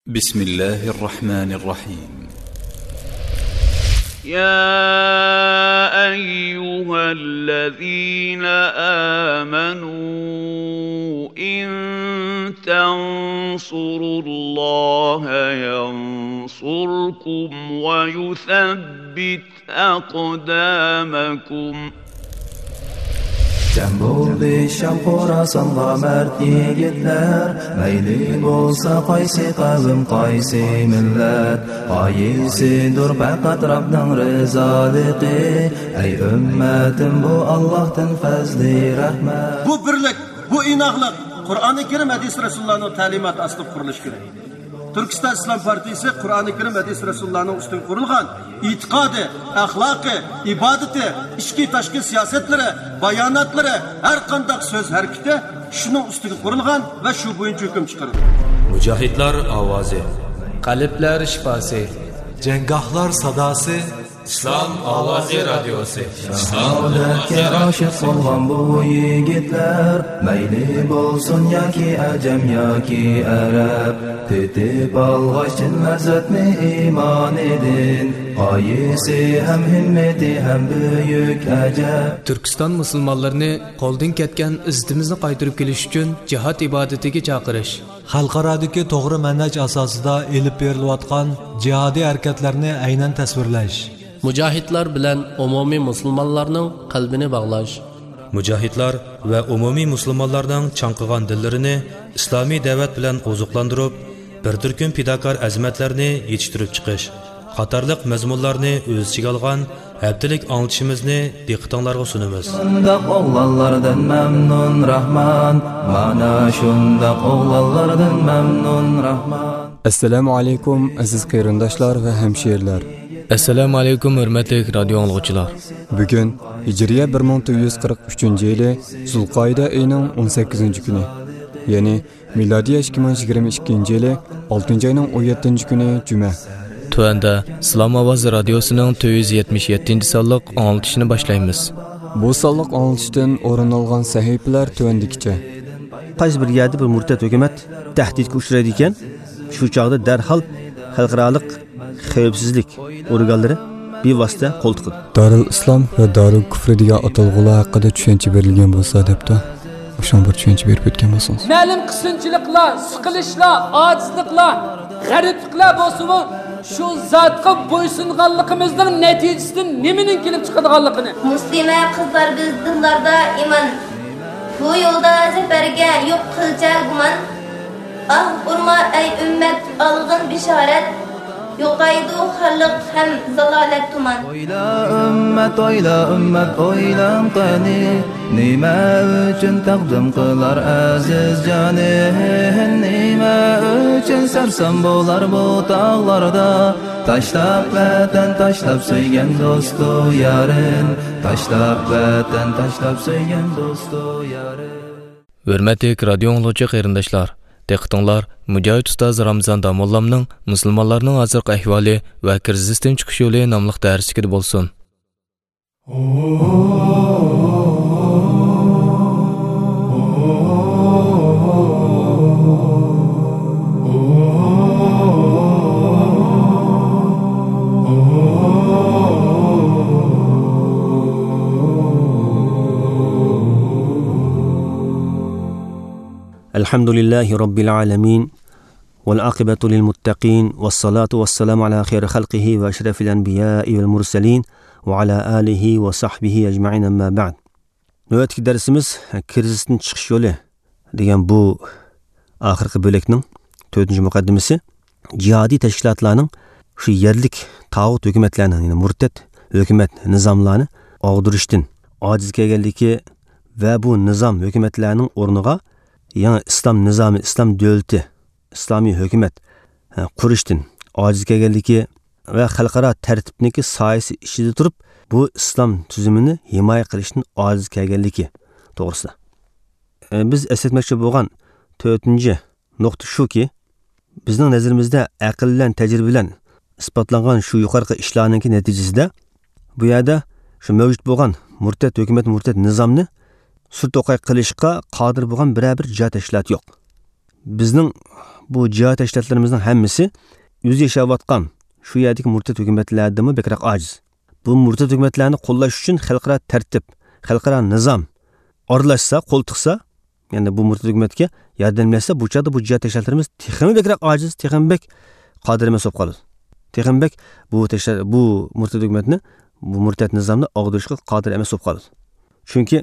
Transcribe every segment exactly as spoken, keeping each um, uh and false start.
بسم الله الرحمن الرحيم. يا أيها الذين آمنوا إن تنصروا الله ينصركم ويثبت أقدامكم. جەم بولدى شام خوراسانغا مەرد يىگىتلەر، مەيلى بولسا قايسى قەۋم، قايسى مىللەت، غايىسىدۇر پەقەت رەبنىڭ رىزالىقى. ئەي ئۈممەتىم، بۇ ئاللاھتىن پەزلى رەھمەت. بۇ بىرلىك، بۇ ئىناقلىق قۇرئانى كەرىم، ھەدىس رەسۇلۇللانىڭ تەلىماتى ئاستىدا قۇرۇلۇشى كېرەك. تۈركىستان ئىسلام پارتىيىسى قۇرئانى كەرىم، ھەدىس رەسۇلۇللانىڭ ئۈستىگە قۇرۇلغان ئېتىقادى، ئەخلاقى، ئىبادىتى، ئىچكى تاشقى سىياسەتلىرى، باياناتلىرى، ھەر قانداق سۆز ھەرىكىتى شۇنىڭ ئۈستىگە قۇرۇلغان ۋە شۇ بويىچە ھۆكۈم چىقىرىدۇ. مۇجاھىدلار ئاۋازى. قەلبلەر شىپاسى. جەڭگاھلار ساداسى. ئىسلام ئاۋازى رادىيوسى. شاھادەتكە ئاشىق بولغان بۇ يىگىتلەر، مەيلى بولسۇن ياكى ئەجەم ياكى ئەرەب، تېتىپ ئالغاچ چىن لەززەتنى ئىمانىدىن، غايىسى ھەم ھىممىتى ھەم بۈيۈك ئەجەب. تۈركىستان مۇسۇلمانلىرىنى قولدىن كەتكەن ئىززىتىمىزنى قايتۇرۇپ كېلىش ئۈچۈن جىھاد ئىبادىتىگە چاقىرىش. خەلقئارادىكى توغرا مەنھەج ئاساسىدا ئېلىپ بېرىلىۋاتقان جىھادىي ھەرىكەتلەرنى ئەينەن تەسۋىرلەش. مۇجاھىدلار بىلەن ئومۇمىي مۇسۇلمانلارنىڭ قەلبىنى باغلاش. مۇجاھىدلار ۋە ئومۇمىي مۇسۇلمانلارنىڭ چاڭقىغان دىللىرىنى ئىسلامىي دەۋەت بىلەن ئوزۇقلاندۇرۇپ، بىر تۈركۈم پىداكار ئەزىمەتلەرنى يېتىشتۈرۈپ چىقىش قاتارلىق مەزمۇنلارنى ئۆز ئىچىگە ئالغان ھەپتىلىك ئاڭلىتىشىمىزنى دىققىتىڭلارغا سۇنىمىز. شۇنداق ئوغلانلاردىن مەمنۇن راھمان، مانا شۇنداق ئوغلانلاردىن مەمنۇن راھمان. ئەسسالامۇ ئەلەيكۇم، ئەزىز قېرىنداشلار ۋە ھەمشىرىلەر. ئەسسالامۇ ئەلەيكۇم، ھۆرمەتلىك رادىيو ئاڭلىغۇچىلار. بۈگۈن ھىجرىيە بىر مىڭ تۆت يۈز قىرىق ئۈچىنچى يىلى زۇلقائىدە ئېيىنىڭ ئون سەككىزىنچى كۈنى، يەنى مىلادىيە ئىككى مىڭ يىگىرمە ئىككىنچى يىلى ئالتىنچى ئاينىڭ ئون يەتتىنچى كۈنى جۈمە. تۆۋەندە ئىسلام ئاۋازى رادىيوسىنىڭ تۆت يۈز يەتمىش يەتتىنچى سانلىق ئاڭلىتىشنى باشلايمىز. بۇ سانلىق ئاڭلىتىشتىن ئورۇن ئالغان سەھىپىلەر تۆۋەندىكىچە. قايسى بىر يەردە بىر مۇرتەت ھۆكۈمەت تەھدىتكە ئۇچرايدىكەن، شۇ چاغدا دەرھال خەلقئارالىق خەۋپسىزلىك ئورگانلىرى بىۋاسىتە قول تىقىدۇ. دارىل ئىسلام ۋە دارىل كۇفرى دېگەن ئاتالغۇلار ھەققىدە چۈشەنچە بېرىلگەن بولسا دەپتۇ. شۇڭا بىر چۈشەنچە بېرىپ ئۆتكەن بولسىڭىز. مەلۇم قىسىنچىلىقلار، سىقىلىشلار، ئاجىزلىقلار، غەرىبلىكلەر بولسىمۇ، شۇ زاتقا بويسۇنغانلىقىمىزنىڭ نەتىجىسىدىن نېمىنىڭ كېلىپ چىقىدىغانلىقىنى. مۇسلىمە قىزلار بىز دىللاردا ئىمان، بۇ يولدا زەپەرگە يوق قىلچە گۇمان. ئاھ ئۇرما ئەي ئۈممەت، ئالغىن بېشارەت، يوقايدۇ خارلىق ھەم زالالەت تۇمان. ئويلا ئۈممەت، ئويلا ئۈممەت، ئويلاڭ قېنى، نېمە ئۈچۈن تەقدىم قىلار ئەزىز جانى؟ نېمە ئۈچۈن سەرسان بولار بۇ تاغلاردا؟ تاشلاپ ۋەتەن، تاشلاپ سۆيگەن دوستۇ يارىن، تاشلاپ ۋەتەن، تاشلاپ سۆيگەن دوستۇ يارىن. ھۆرمەتلىك رادىيو ئاڭلىغۇچى قېرىنداشلار، دىققىتىڭلار مۇجاھىد ئۇستاز رامىزان داموللامنىڭ مۇسۇلمانلارنىڭ ھازىرقى ئەھۋالى ۋە كىرىزىستىن چىقىش يولى ناملىق دەرسلىكىدە بولسۇن. الحمد لله رب العالمين، والعاقبة للمتقين، والصلاة والسلام على خير خلقه وأشرف الأنبياء والمرسلين، وعلى آله وصحبه أجمعين، أما بعد. نۆۋەتتىكى دەرسىمىز كىرىزىستىن چىقىش يولى دېگەن بۇ ئاخىرقى بۆلەكنىڭ تۆتىنچى مۇقەددىمىسى. جىھادىي تەشكىلاتلارنىڭ شۇ يەرلىك تاغۇت ھۆكۈمەتلەرنىڭ، يەنى مۇرتەت ھۆكۈمەت نىزاملارنى ئاغدۇرۇشتىن ئاجىز كەلگەنلىكى ۋە بۇ نىزام ھۆكۈمەتلەرنىڭ ئورنىغا يېڭى ئىسلام نىزامى، ئىسلام دۆلىتى، ئىسلامىي ھۆكۈمەت، ھە، قۇرۇشتىن ئاجىز كەلگەنلىكى ۋە خەلقئارا تەرتىپنىڭكى سايىسى ئىچىدە تۇرۇپ، بۇ ئىسلام تۈزۈمىنى ھىمايە قىلىشتىن ئاجىز كەلگەنلىكى توغرىسىدا. ئە، بىز ئەسلەتمەكچى بولغان تۆتىنچى نۇقتا شۇكى، بىزنىڭ نەزىرىمىزدە ئەقىل بىلەن، تەجرىبە بىلەن ئىسپاتلانغان شۇ يۇقىرىقى ئىشلارنىڭكى نەتىجىسىدە، بۇ يەردە شۇ مەۋجۇت بولغان مۇرتەت ھۆكۈمەت، مۇرتەت نىزامنى سۈر توقاي قىلىشقا قادىر بولغان بىرەر بىر جىھاد تەشكىلاتى يوق. بىزنىڭ بۇ جىھاد تەشكىلاتلىرىمىزنىڭ ھەممىسى ئۆزى ياشاۋاتقان شۇ يەردىكى مۇرتەت ھۆكۈمەتلەردىنمۇ بەكرەك ئاجىز. بۇ مۇرتەت ھۆكۈمەتلەرنى قوللاش ئۈچۈن خەلقئارا تەرتىپ، خەلقئارا نىزام ئارىلاشسا، قول تىقسا، يەنى بۇ مۇرتەت ھۆكۈمەتكە ياردەملەشسە، بۇ چاغدا بۇ جىھاد تەشكىلاتلىرىمىز تېخىمۇ بەكرەك ئاجىز، تېخىمۇ بەك قادىر ئەمەس بولۇپ قالىدۇ. تېخىمۇ بەك بۇ تەشكىلات، بۇ مۇرتەت ھۆكۈمەتنى، بۇ مۇرتەت نىزامنى ئاغدۇرۇشقا قادىر ئەمەس بولۇپ قالىدۇ. چۈنكى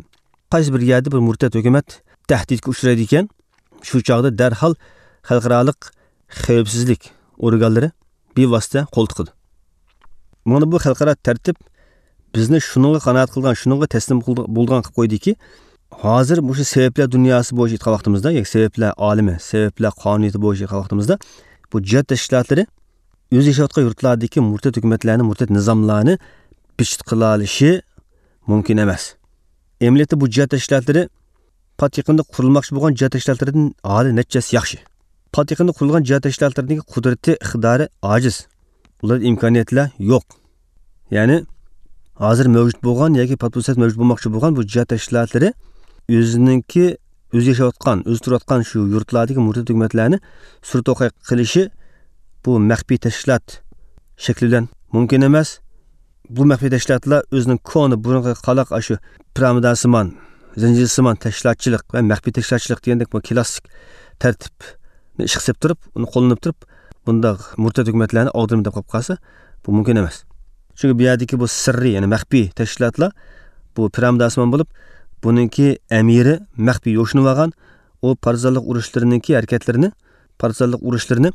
قايسى بىر يەردە بىر مۇرتەت ھۆكۈمەت تەھدىتكە ئۇچرايدىكەن، شۇ چاغدا دەرھال خەلقئارالىق خەۋپسىزلىك ئورگانلىرى بىۋاسىتە قول تىقىدۇ. مانا بۇ خەلقئارا تەرتىپ بىزنى شۇنىڭغا قانائەت قىلغان، شۇنىڭغا تەسلىم قىلدى-، بولىدىغان قىلىپ قويدىكى، ھازىر مۇشۇ سەۋەبلەر دۇنياسى بويىچە ئېيتقان ۋاقتىمىزدا، ياكى سەۋەبلەر ئالىمى، سەۋەبلەر قانۇنىيىتى بويىچە ئېيتقان ۋاقتىمىزدا، بۇ جىھاد تەشكىلاتلىرى ئۆزى ياشاۋاتقان يۇرتلاردىكى مۇرتەت ھۆكۈمەتلەرنى، مۇرتەت نىزاملارنى بىچىت قىلالىشى مۇمكىن ئەمەس. ئەمەلىيەتتە بۇ جىھاد تەشكىلاتلىرى پات يېقىندا قۇرۇلماقچى بولغان جىھاد تەشكىلاتلىرىدىن ھالى نەچچە ھەسسە ياخشى. پات يېقىندا قۇرۇلغان جىھاد تەشكىلاتلىرىدىكى قۇدرىتى، ئىقتىدارى ئاجىز. ئۇلاردا ئىمكانىيەتلەر يوق. يەنى ھازىر مەۋجۇت بولغان ياكى پات پۇرسەت مەۋجۇت بولماقچى بولغان بۇ جىھاد تەشكىلاتلىرى ئۆزىنىڭكى، ئۆزى ياشاۋاتقان، ئۆزى تۇرۇۋاتقان شۇ يۇرتلاردىكى مۇرتەت ھۆكۈمەتلەرنى سۈر توقاي قىلىشى بۇ مەخپىي تەشكىلات شەكلى بىلەن مۇمكىن ئەمەس. بۇ مەخپىي تەشكىلاتلار ئۆزىنىڭ كونا، بۇرۇنقى قالاق ئاشۇ پىرامىداسىمان، زەنجىرسىمان تەشكىلاتچىلىق ۋە مەخپىي تەشكىلاتچىلىق دېگەندەك بۇ كلاسسىك تەرتىپنى ئىشقا سېلىپ تۇرۇپ، ئۇنى قوللىنىپ تۇرۇپ، بۇنداق مۇرتەت ھۆكۈمەتلەرنى ئاغدۇرىمەن دەپ قېلىپ قالسا، بۇ مۇمكىن ئەمەس. چۈنكى بۇ يەردىكى بۇ سىررىي، يەنى مەخپىي تەشكىلاتلار بۇ پىرامىداسىمان بولۇپ، بۇنىڭكى ئەمىرى مەخپىي يوشۇنۇۋالغان، ئۇ پارتىزانلىق ئۇرۇشلىرىنىڭكى ھەرىكەتلىرىنى، پارتىزانلىق ئۇرۇشلىرىنى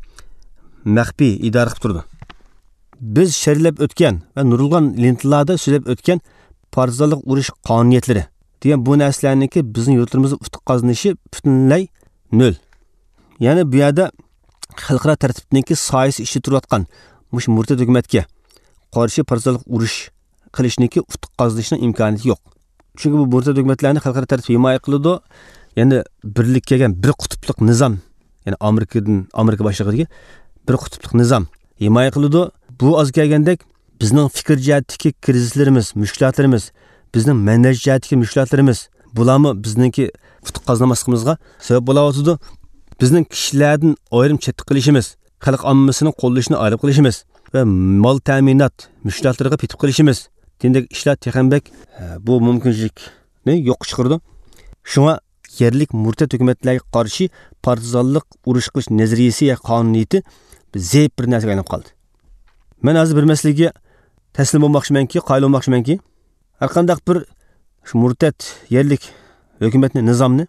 مەخپىي ئىدارە قىلىپ تۇرىدۇ. بىز شەرھلەپ ئۆتكەن ۋە نۇرغۇن لېنتىلاردا سۆزلەپ ئۆتكەن پارتىزانلىق ئۇرۇش قانۇنىيەتلىرى دېگەن بۇ نەرسىلەرنىڭكى بىزنىڭ يۇرتلىرىمىزدا ئۇتۇق قازىنىشى پۈتۈنلەي نۆل. يەنى بۇ يەردە خەلقئارا تەرتىپنىڭكى سايىسى ئىچىدە تۇرۇۋاتقان مۇشۇ مۇرتەت ھۆكۈمەتكە قارشى پارتىزانلىق ئۇرۇش قىلىشنىڭكى ئۇتۇق قازىنىشنىڭ ئىمكانىيىتى يوق. چۈنكى بۇ مۇرتەت ھۆكۈمەتلەرنى خەلقئارا تەرتىپ ھىمايە قىلىدۇ. يەنى بىرلىككە كەلگەن بىر قۇتۇپلۇق نىزام، يەنى ئامېرىكىدىن، ئامېرىكا باشلىقىدىكى بىر قۇتۇپلۇق نىزام ھىمايە قىلىدۇ. بۇ ئازغا كەلگەندەك بىزنىڭ پىكىر جەھەتتىكى كىرىزىسلىرىمىز، مۈشكۈلاتلىرىمىز، بىزنىڭ مەنھەج جەھەتتىكى مۈشكۈلاتلىرىمىز، بۇلارمۇ بىزنىڭكى ئۇتۇق قازىنالماسلىقىمىزغا سەۋەب بولاۋاتىدۇ. بىزنىڭ كىشىلەردىن ئايرىم چەتتە قېلىشىمىز، خەلق ئاممىسىنىڭ قوللىشىنى ئايرىپ قېلىشىمىز ۋە مال تەمىنات مۈشكۈلاتلىرىغا پېتىپ قېلىشىمىز دېگەندەك ئىشلار تېخىمۇ بەك، ئە، بۇ مۇمكىنچىلىكنى يوققا چىقىرىدۇ. شۇڭا يەرلىك مۇرتەت ھۆكۈمەتلەرگە قارشى پارتىزانلىق ئۇرۇش قىلىش نەزەرىيىسى يا قانۇنىيىتى زەئىپ بىر نەرسىگە ئايلىنىپ قالدى. مەن ھازىر بىر مەسىلىگە تەسلىم بولماقچىمەنكى، قايىل بولماقچىمەنكى، ھەرقانداق بىر شۇ مۇرتەت يەرلىك ھۆكۈمەتنى، نىزامنى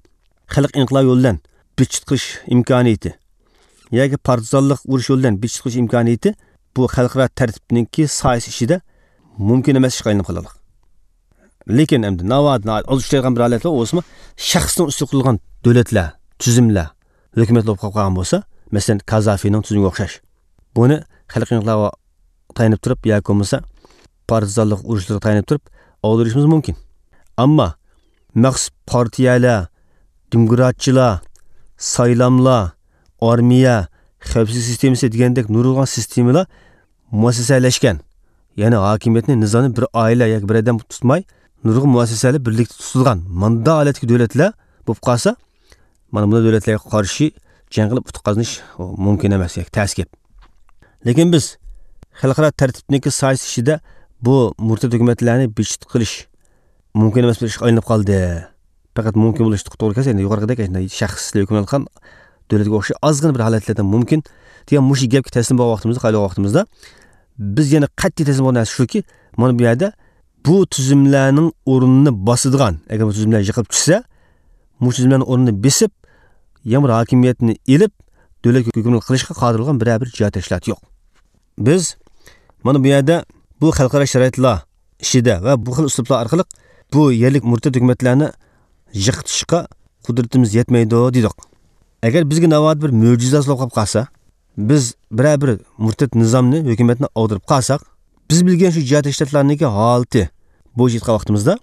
خەلق ئىنقىلابى يولى بىلەن بىچىت قىلىش ئىمكانىيىتى ياكى پارتىزانلىق ئۇرۇش يولى بىلەن بىچىت قىلىش ئىمكانىيىتى بۇ خەلقئارا تەرتىپنىڭكى سايىسى ئىچىدە مۇمكىن ئەمەس ئىشقا ئايلىنىپ قالىدۇ. لېكىن ئەمدى ناۋادا، ناۋادا ئاز ئۇچرايدىغان بىر ھالەتلەر بولسىمۇ، شەخسنىڭ ئۈستىگە قۇرۇلغان دۆلەتلەر، تۈزۈملەر ھۆكۈمەت بولۇپ قالغان بولسا، مەسىلەن، كازافىنىڭ تۈزۈمىگە ئوخشاش. بۇنى خەلق ئىنقىلابىغا تايىنىپ تۇرۇپ ياكى بولمىسا پارتىزانلىق ئۇرۇشلىرىغا تايىنىپ تۇرۇپ ئاغدۇرۇشىمىز مۇمكىن. ئەمما مەخسۇس پارتىيەلەر، دېموكراتچىلار، سايلاملار، ئارمىيە، خەۋپسىزلىك سىستېمىسى دېگەندەك نۇرغۇن سىستېمىلار مۇئەسسەسەلەشكەن، يەنى ھاكىمىيەتنى، نىزامنى بىر ئائىلە ياكى بىر ئادەم تۇتماي، نۇرغۇن مۇئەسسەسەلەر بىرلىكتە تۇتۇلغان مۇنداق ھالەتتىكى دۆلەتلەر بولۇپ قالسا، مانا بۇنداق دۆلەتلەرگە قارشى جەڭ قىلىپ ئۇتۇق قازىنىش مۇمكىن ئەمەس، ياكى تەس گەپ. لېكىن بىز خەلقئارا تەرتىپنىڭكى سايىسى ئىچىدە بۇ مۇرتەت ھۆكۈمەتلەرنى بىچىت قىلىش مۇمكىن ئەمەس بىر ئىشقا ئايلىنىپ قالدى. پەقەت مۇمكىن بولۇشقا توغرا كەلسە، ئەمدى يۇقىرىقىدەك شەخسلەر ھۆكۈمران قىلغان دۆلەتكە ئوخشاش ئازغىنا بىر ھالەتلەردە مۇمكىن دېگەن مۇشۇ گەپكە تەسلىم بولغان ۋاقتىمىزدا، قايىل بولغان ۋاقتىمىزدا، بىز يەنە قەتئىي تەسلىم بولغان نەرسە شۇكى، مانا بۇ يەردە بۇ تۈزۈملەرنىڭ ئورنىنى باسىدىغان، ئەگەر بۇ تۈزۈملەر يىقىلىپ چۈشسە، مۇشۇ تۈزۈملەرنىڭ ئورنىنى بېسىپ، يەنە بىر ھاكىمىيەتنى ئېلىپ، دۆلەت ھۆكۈمرانلىق قىلىشقا قادىر بولغان بىرەر بىر جىھاد تەشكىلاتى يوق. بىز مانا بۇ يەردە بۇ خەلقئارا شارائىتلار ئىچىدە ۋە بۇ خىل ئۇسلۇبلار ئارقىلىق بۇ يەرلىك مۇرتەت ھۆكۈمەتلەرنى يىقىتىشقا قۇدرىتىمىز يەتمەيدۇ دېدۇق. ئەگەر بىزگە ناۋادا بىر مۆجىزە ھاسىل بولۇپ قالسا، بىز بىرەر بىر مۇرتەت نىزامنى، ھۆكۈمەتنى ئاغدۇرۇپ قالساق، بىز بىلگەن شۇ جىھاد تەشكىلاتلارنىڭكى ھالىتى بويىچە ئېيتقان ۋاقتىمىزدا،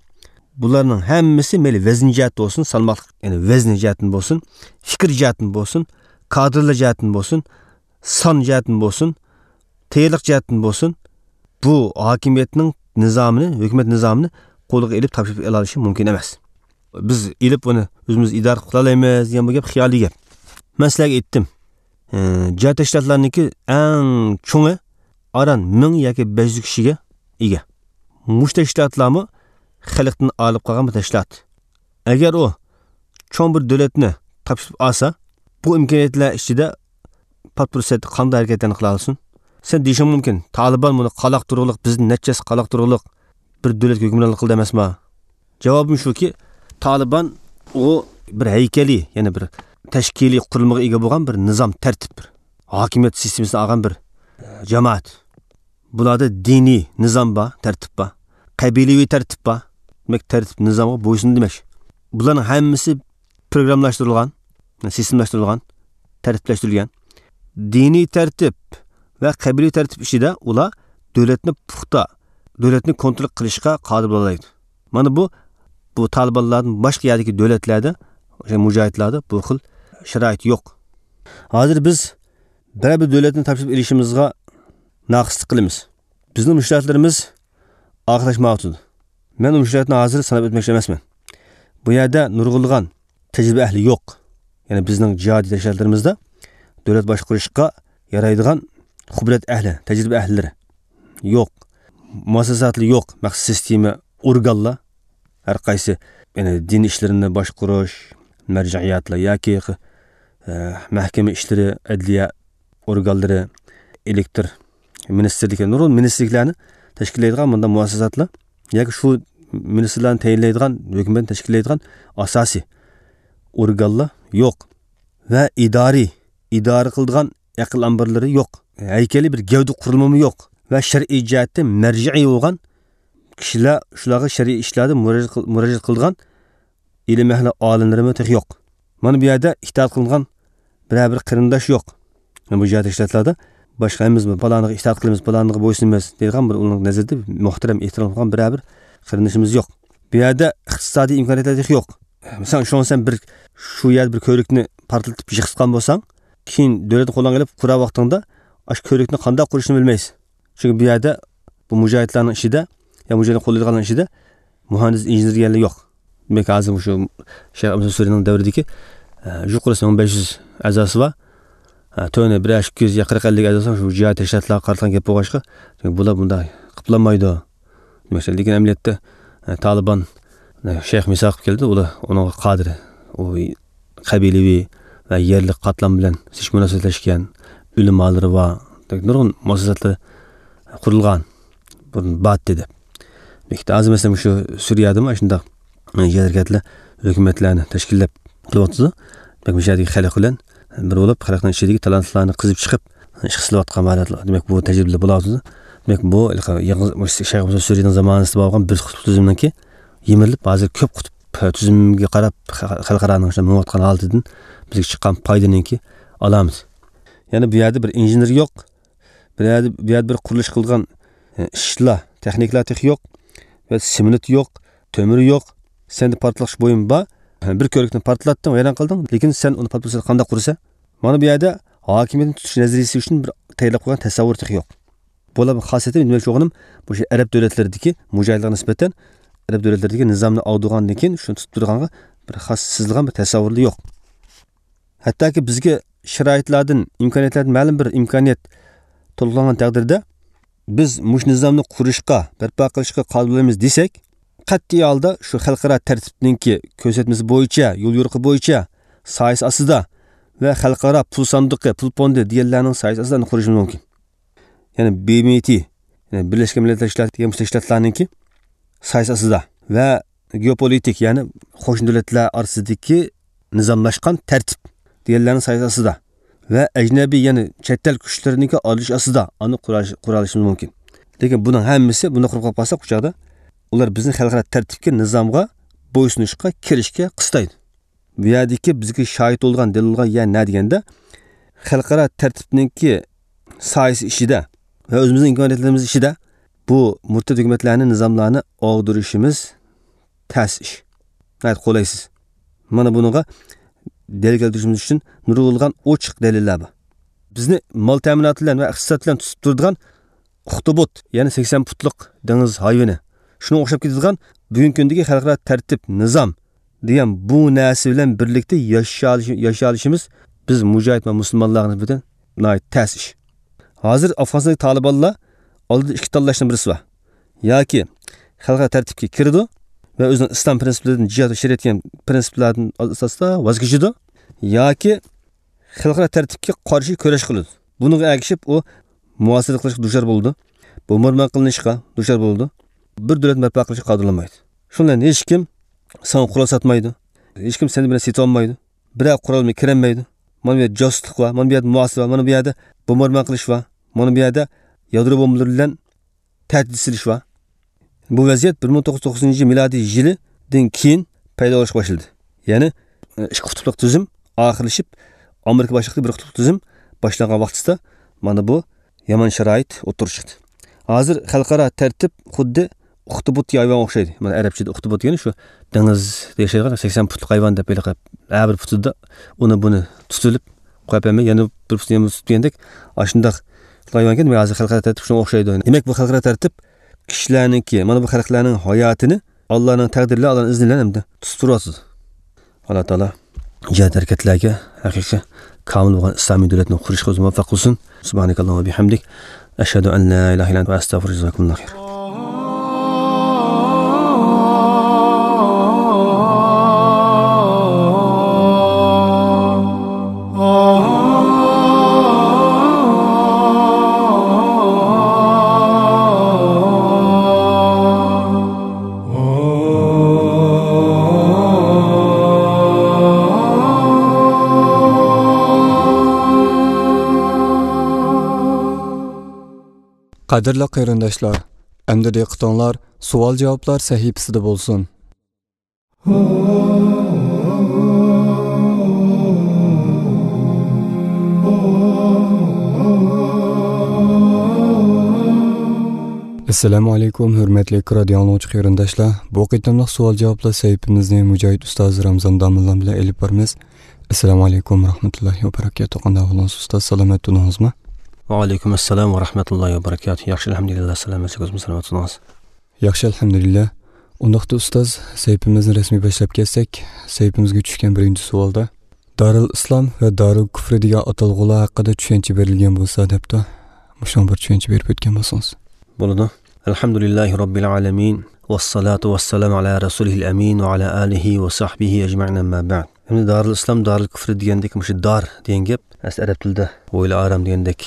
بۇلارنىڭ ھەممىسى مەيلى ۋەزىن جەھەتتىن بولسۇن، سالماقلىق، يەنى ۋەزىن جەھەتتىن بولسۇن، پىكىر جەھەتتىن بولسۇن، كادىرلار جەھەتتىن بولسۇن، سان جەھەتتىن بولسۇن، تەييارلىق جەھەتتىن بولسۇن، بۇ ھاكىمىيەتنىڭ نىزامىنى، ھۆكۈمەت نىزامىنى قولىغا ئېلىپ تاپشۇرۇپ ئېلالىشى مۇمكىن ئەمەس. بىز ئېلىپ ئۇنى ئۆزىمىز ئىدارە قىلالايمىز دېگەن بۇ گەپ خىيالىي گەپ. مەن سىلەرگە ئېيتتىم. ئى، جىھاد تەشكىلاتلارنىڭكى ئەڭ چوڭى ئاران مىڭ ياكى بەش يۈز كىشىگە ئىگە. مۇشۇ تەشكىلاتلارمۇ خەلقتىن ئايرىلىپ قالغان بىر تەشكىلات. ئەگەر ئۇ چوڭ بىر دۆلەتنى تاپشۇرۇپ ئالسا، بۇ ئىمكانىيەتلەر ئىچىدە پات پۇرسەتتە قانداق ھەرىكەتلەرنى قىلالىسۇن؟ سەن دېيىشىڭ مۇمكىن، تالىبان بۇنى قالاقتۇرغۇلۇق، بىزدىن نەچچە ھەسسە قالاقتۇرغۇلۇق بىر دۆلەتكە ھۆكۈمرانلىق قىلدى ئەمەسما؟ جاۋابىم شۇكى، تالىبان ئۇ بىر ھەيكەلى، يەنى بىر تەشكىلىي قۇرۇلمىغا ئىگە بولغان بىر نىزام، تەرتىپ، بىر ھاكىمىيەت سىستېمىسىنى ئالغان بىر، ئە، جامائەت. بۇلاردا دىنىي نىزام بار، تەرتىپ بار، قەبىلىۋى تەرتىپ بار. دېمەك، تەرتىپ نىزامغا بويسۇنىدۇ دېمەك. بۇلارنىڭ ھەممىسى پروگراممىلاشتۇرۇلغان، سىستېمىلاشتۇرۇلغان، تەرتىپلەشتۈرۈلگەن. دىنىي تەرتىپ ۋە قەبىلىۋى تەرتىپ ئىچىدە ئۇلار دۆلەتنى پۇختا، دۆلەتنى كونترول قىلىشقا قادىر بولالايدۇ. مانا بۇ، بۇ تالىبانلاردىن باشقا يەردىكى دۆلەتلەردە، ئوشۇ مۇجاھىدلاردا بۇ خىل شارائىت يوق. ھازىر بىز بىرەر بىر دۆلەتنى تاپشۇرۇپ ئېلىشىمىزغا ناقىسلىق قىلىمىز. بىزنىڭ مۇشكىلاتلىرىمىز ئاخىرلاشمايۋاتىدۇ. مەن ئۇ مۇشكىلاتنى ھازىر ساناپ ئۆتمەكچى ئەمەسمەن. بۇ يەردە نۇرغۇنلىغان تەجرىبە ئەھلى يوق. يەنى بىزنىڭ جىھادىي تەشكىلاتلىرىمىزدا دۆلەت باشقۇرۇشقا يارايدىغان خۇبرەت ئەھلى، تەجرىبە ئەھلىلىرى يوق. مۇئەسسەساتلا يوق. مەخسۇس سىستېما، ئورگانلار، ھەر قايسى، يەنى دىن ئىشلىرىنى باشقۇرۇش، مەرجەئىيەتلەر ياكى، ئە، مەھكىمە ئىشلىرى، ئەدلىيە ئورگانلىرى، ئېلېكتر مىنىستىرلىكى، نۇرغۇن مىنىستىرلىكلەرنى تەشكىللەيدىغان مۇنداق مۇئەسسەساتلار ياكى شۇ مىنىستىرلارنى تەيىنلەيدىغان، ھۆكۈمەتنى تەشكىللەيدىغان ئاساسىي ئورگانلار يوق. ۋە ئىدارىي، ئىدارە قىلىدىغان ئەقىل ئامبىرلىرى يوق. ھەيكەلىي بىر گەۋدە قۇرۇلمىمۇ يوق. ۋە شەرئىي جەھەتتە مەرجەئىي بولغان كىشىلەر، شۇلارغا شەرئىي ئىشلاردا مۇراجىئەت قىل-، مۇراجىئەت قىلىدىغان ئىلىم ئەھلى ئالىملىرىمۇ تېخى يوق. مانا بۇ يەردە ئىتائەت قىلىنغان بىرەر بىر قېرىنداش يوق. بۇ جىھاد تەشكىلاتلاردا باشقا ھەممىمىز پالانىغا ئىتائەت قىلىمىز، پالانىغا بويسۇنىمىز دەيدىغان بىر ئۇنىڭ نەزىرىدە مۇھتەرەم، ئېھتىرام قىلغان بىرەر بىر قېرىندىشىمىز يوق. بۇ يەردە ئىقتىسادىي ئىمكانىيەتلەر تېخى يوق. مىسال، شۇڭا سەن بىر شۇ يەردە بىر كۆۋرۈكنى پارتلىتىپ يىقىتقان بولساڭ، كېيىن دۆلەتنى قولۇڭغا ئېلىپ قۇرار ۋاقتىڭدا ئاشۇ كۆۋرۈكنى قانداق قۇرۇشنى بىلمەيسەن. چۈنكى بۇ يەردە بۇ مۇجاھىدلارنىڭ ئىچىدە، يا مۇجاھىدنى قوللايدىغانلارنىڭ ئىچىدە مۇھەندىس، ئىنژېنېر دېگەنلەر يوق. دېمەك، ھازىر مۇشۇ شەيخ ئەبدۇللا سۈرىنىڭ دەۋرىدىكى، ئە، يۇقىرىسى مىڭ بەش يۈز ئەزاسى بار. ئە، تۆۋىنى بىر ئىككى يۈز يا قىرىق ئەللىك ئەزاسى بار، شۇ جىھاد تەشكىلاتلارغا قارىتىلغان گەپ بولغاچقا، چۈنكى بۇلار بۇنداق قىپلانمايدۇ. دېمەك، لېكىن ئەمەلىيەتتە، ئە، تالىبان، ئە، شەيخ مىساق قىلىپ كەلدى، ئۇلار ئۇنىڭغا قادىر. ئۇ قەبىلىۋى ۋە يەرلىك قاتلام بىلەن زىچ مۇناسىۋەتلەشكەن، ئۆلىمالىرى بار، نۇرغۇن مۇئەسسەسەتلەر قۇرۇلغان، بۇرۇن بارتتى دەپ. بەلكى ھازىر مەسىلەن، مۇشۇ سۈرىيەدىمۇ شۇنداق جىھاد ھەرىكەتلەر ھۆكۈمەتلەرنى تەشكىللەپ قىلىۋاتىدۇ. بەلكى مۇشۇ يەردىكى خەلق بىلەن بىر بولۇپ، خەلقنىڭ ئىچىدىكى تالانتلارنى قېزىپ چىقىپ، ئىش قىلىۋاتقان ھالەتلەر. دېمەك، بۇ تەجرىبىلەر بولۇۋاتىدۇ. دېمەك، بۇ يېڭى، مۇشۇ شەيخ مۇسا سۈرىنىڭ زامانىسىدا بولغان بىر قۇتۇپ تۈزۈمنىڭكى يىمىرىلىپ، ھازىر كۆپ قۇتۇپ تۈزۈمگە قاراپ، خەلقئارانىڭ شۇنداق مېڭىۋاتقان ھالىتىدىن بىزگە چىققان پايدىنىڭكى ئالامىتى. يەنى بۇ يەردە بىر ئىنژېنېر يوق، بۇ يەردە، بۇ يەردە بىر قۇرۇلۇش قىلىدىغان، ئە، ئىشلار، تېخنىكىلار تېخى يوق. بۇ يەردە سېمونت يوق، تۆمۈر يوق. سەندە پارتلىتىش بۇيۇم بار. بىر كۆۋرۈكنى پارتلاتتىڭ، ۋەيران قىلدىڭ. لېكىن سەن ئۇنى پارتلىتىپ قانداق قۇرىسەن؟ مانا بۇ يەردە ھاكىمىيەتنى تۇتۇش نەزەرىيىسى ئۈچۈن بىر تەييارلاپ قويغان تەسەۋۋۇر تېخى يوق. بۇلار خاسىيىتى، دېمەكچى بولغىنىم، مۇشۇ ئەرەب دۆلەتلىرىدىكى مۇجاھىدلارغا نىسبەتەن ئەرەب دۆلەتلىرىدىكى نىزامنى ئاغدۇرغاندىن كېيىن شۇنى تۇتۇپ تۇرىدىغانغا بىر خاس سىزىلغان بىر تەسەۋۋۇرلا يوق. ھەتتاكى بىزگە شارائىتلاردىن، ئىمكانىيەتلەردىن مەلۇم بىر ئىمكانىيەت تولۇقلانغان تەقدىردە، بىز مۇشۇ نىزامنى قۇرۇشقا، بەرپا قىلىشقا قادىر بولىمىز دېسەك، قەتئىي ھالدا شۇ خەلقئارا تەرتىپنىڭكى كۆرسەتمىسى بويىچە، يول يورۇقى بويىچە، سايىسى ئاستىدا ۋە خەلقئارا پۇل ساندۇقى، پۇل فوندى دېگەنلەرنىڭ سايىسى ئاستىدا ئۇنى قۇرۇشىمىز مۇمكىن. يەنى بى ئېم تى، يەنى بىرلەشكەن مىللەتلەر تەشكىلاتى دېگەن مۇشۇ تەشكىلاتلارنىڭكى سايىسى ئاستىدا ۋە گېئوپولىتىك، يەنى قوشنا دۆلەتلەر ئارىسىدىكى نىزاملاشقان تەرتىپ دېگەنلەرنىڭ سايىسى ئاستىدا ۋە ئەجنەبىي، يەنى چەت ئەل كۈچلىرىنىڭكى ئارىلىشىش ئاستىدا ئانى قۇرا-، قۇرالىشىمىز مۇمكىن. لېكىن بۇنىڭ ھەممىسى، بۇنداق قۇرۇپ قالساق، ئۇ چاغدا ئۇلار بىزنى خەلقئارا تەرتىپكە، نىزامغا بويسۇنۇشقا، كىرىشكە قىستايدۇ. بۇ يەردىكى بىزگە شاھىت بولىدىغان دەلىلغا يە نە دېگەندە، خەلقئارا تەرتىپنىڭكى سايىسى ئىچىدە ۋە ئۆزىمىزنىڭ ئىمكانىيەتلىرىمىز ئىچىدە بۇ مۇرتەت ھۆكۈمەتلەرنى، نىزاملارنى ئاغدۇرۇشىمىز تەس ئىش. ناھايىتى قولايسىز. مانا بۇنىڭغا دەلىل كەلتۈرۈشىمىز ئۈچۈن نۇرغۇنلىغان ئوچۇق دەلىللەر بار. بىزنى مال تەمىناتى بىلەن ۋە ئىقتىساد بىلەن تۇتۇپ تۇرىدىغان ئۇختۇبۇت، يەنى سەكسەن پۇتلۇق دېڭىز ھايۋىنى، شۇنىڭغا ئوخشاپ كېتىدىغان بۈگۈنكى كۈندىكى خەلقئارا تەرتىپ، نىزام دېگەن بۇ نەرسە بىلەن بىرلىكتە ياشالىشى-، ياشالىشىمىز بىز مۇجاھىد ۋە مۇسۇلمانلارغا نىسبەتەن ناھايىتى تەس ئىش. ھازىر ئافغانىستاندىكى تالىبانلار ئالدىدا ئىككى تاللاشنىڭ بىرسى بار. ياكى خەلقئارا تەرتىپكە كىرىدۇ ۋە ئۆزىنىڭ ئىسلام پىرىنسىپلىرىدىن، جىھاد ۋە شەرىئەت دېگەن پىرىنسىپلەردىن ئاساستا ۋاز كېچىدۇ، ياكى خەلقئارا تەرتىپكە قارشى كۈرەش قىلىدۇ. بۇنىڭغا ئەگىشىپ ئۇ مۇھاسىرە قىلىشقا دۇچار بولىدۇ. بومباردىمان قىلىنىشقا دۇچار بولىدۇ. بىر دۆلەت بەرپا قىلىشقا قادىر بولمايدۇ. شۇنىڭ بىلەن ھېچكىم ساڭا قورال ساتمايدۇ. ھېچكىم سېنى بىلەن سېتىۋالمايدۇ. بىرەر قورال بىلەن كىرەلمەيدۇ. مانا بۇ يەردە جاسۇسلۇق بار، مانا بۇ يەردە مۇھاسىرە بار، مانا بۇ يەردە بومباردىمان قىلىش بار، مانا بۇ يەردە يادرو بومبىلىرى بىلەن تەھدىت سېلىش بار. بۇ ۋەزىيەت بىر مىڭ توققۇز يۈز توقسەن توققۇزىنچى مىلادىي يىلىدىن كېيىن پەيدا بولۇشقا باشلىدى. يەنى، ئىككى قۇتۇپلۇق تۈزۈم ئاخىرلىشىپ، ئامېرىكا باشلىقىدىكى بىر قۇتۇپلۇق تۈزۈم باشلانغان ۋاقتىسىدا مانا بۇ يامان شارائىت ئوتتۇرىغا چىقتى. ھازىر خەلقئارا تەرتىپ خۇددى ئۇختىبۇت ھايۋانغا ئوخشايدۇ. مانا ئەرەبچىدە ئۇختىبۇت دېگەن شۇ دېڭىزدا ياشايدىغان سەكسەن پۇتلۇق ھايۋان دەپ ھېلىقى ھەر بىر پۇتىدا ئۇنى بۇنى تۇتۇلۇپ قويۇپ بەرمەي، يەنە بىر پۇتىنى يەنە تۇتۇپ دېگەندەك ئاشۇنداق ھايۋانكەن، ھازىر خەلقئارا تەرتىپ شۇنىڭغا ئوخشايدۇ. دېمەك، بۇ خەلقئارا تەرتىپ كىشىلەرنىڭكى، مانا بۇ خەلقلەرنىڭ ھاياتىنى ئاللانىڭ تەقدىرى بىلەن، ئاللانىڭ ئىزنى بىلەن ئەمدى تۇتۇپ تۇرۇۋاتىدۇ. ئاللا تائالا جىھاد ھەرىكەتلەرگە ھەقىقىي كامىل بولغان ئىسلامىي دۆلەتنى قۇرۇشقا ئۆزى مۇۋەپپەق قىلسۇن. سۇبھانەكاللاھۇممە ۋە بىھەمدىك. ئەشھەدۇ ئەن لا ئىلاھە ئىللا ئەنتە ۋە ئەستەغفىرۇكە. جازاكۇمۇللاھۇ خەير. قەدىرلىك قېرىنداشلار، ئەمدى دىققىتىڭلار سوئال-جاۋابلار سەھىپىسىدە بولسۇن. ئەسسالامۇ ئەلەيكۇم، ھۆرمەتلىك رادىئو ئاڭلىغۇچى قېرىنداشلار. بۇ قېتىملىق سوئال-جاۋابلار سەھىپىمىزنى مۇجاھىد ئۇستاز رامزان داموللام بىلەن ئېلىپ بارىمىز. ئەسسالامۇ ئەلەيكۇم ۋە رەھمەتۇللاھى ۋە بەرەكاتۇھ. قانداق ئەھۋالىڭىز ئۇستاز؟ سالامەت تۇردىڭىزمۇ؟ ۋەئەلەيكۇم ئەسسالام ۋە رەھمەتۇللاھى ۋە بەرەكاتۇھ. ياخشى، ئەلھەمدۇلىللا، سالامەتسىز، ئۆزىڭىز سالامەت تۇردىڭىز. ياخشى، ئەلھەمدۇلىللا. ئۇنداقتا ئۇستاز، سەھىپىمىزنى رەسمىي باشلاپ كەتسەك، سەھىپىمىزگە چۈشكەن بىرىنچى سوئالدا، دارىل ئىسلام ۋە دارىل كۇفرى دېگەن ئاتالغۇلار ھەققىدە چۈشەنچە بېرىلگەن بولسا دەپتۇ. مۇشۇنىڭغا بىر چۈشەنچە بېرىپ ئۆتكەن بولسىڭىز. بولىدۇ. ئەلھەمدۇلىللاھى رەببىل ئالەمىن. ۋەسسالاتۇ ۋەسسالامۇ ئەلا رەسۇلىھىل ئەمىن ۋە ئەلا ئالىھى ۋە سەھبىھى ئەجمەئىن، ئەمما بەئد. ئەمدى دارىل ئىسلام، دارىل كۇفر دېگەندىكى مۇشۇ دار دېگەن گەپ ئەسلى ئەرەب تىلىدا ھويلا ئارام دېگەندەك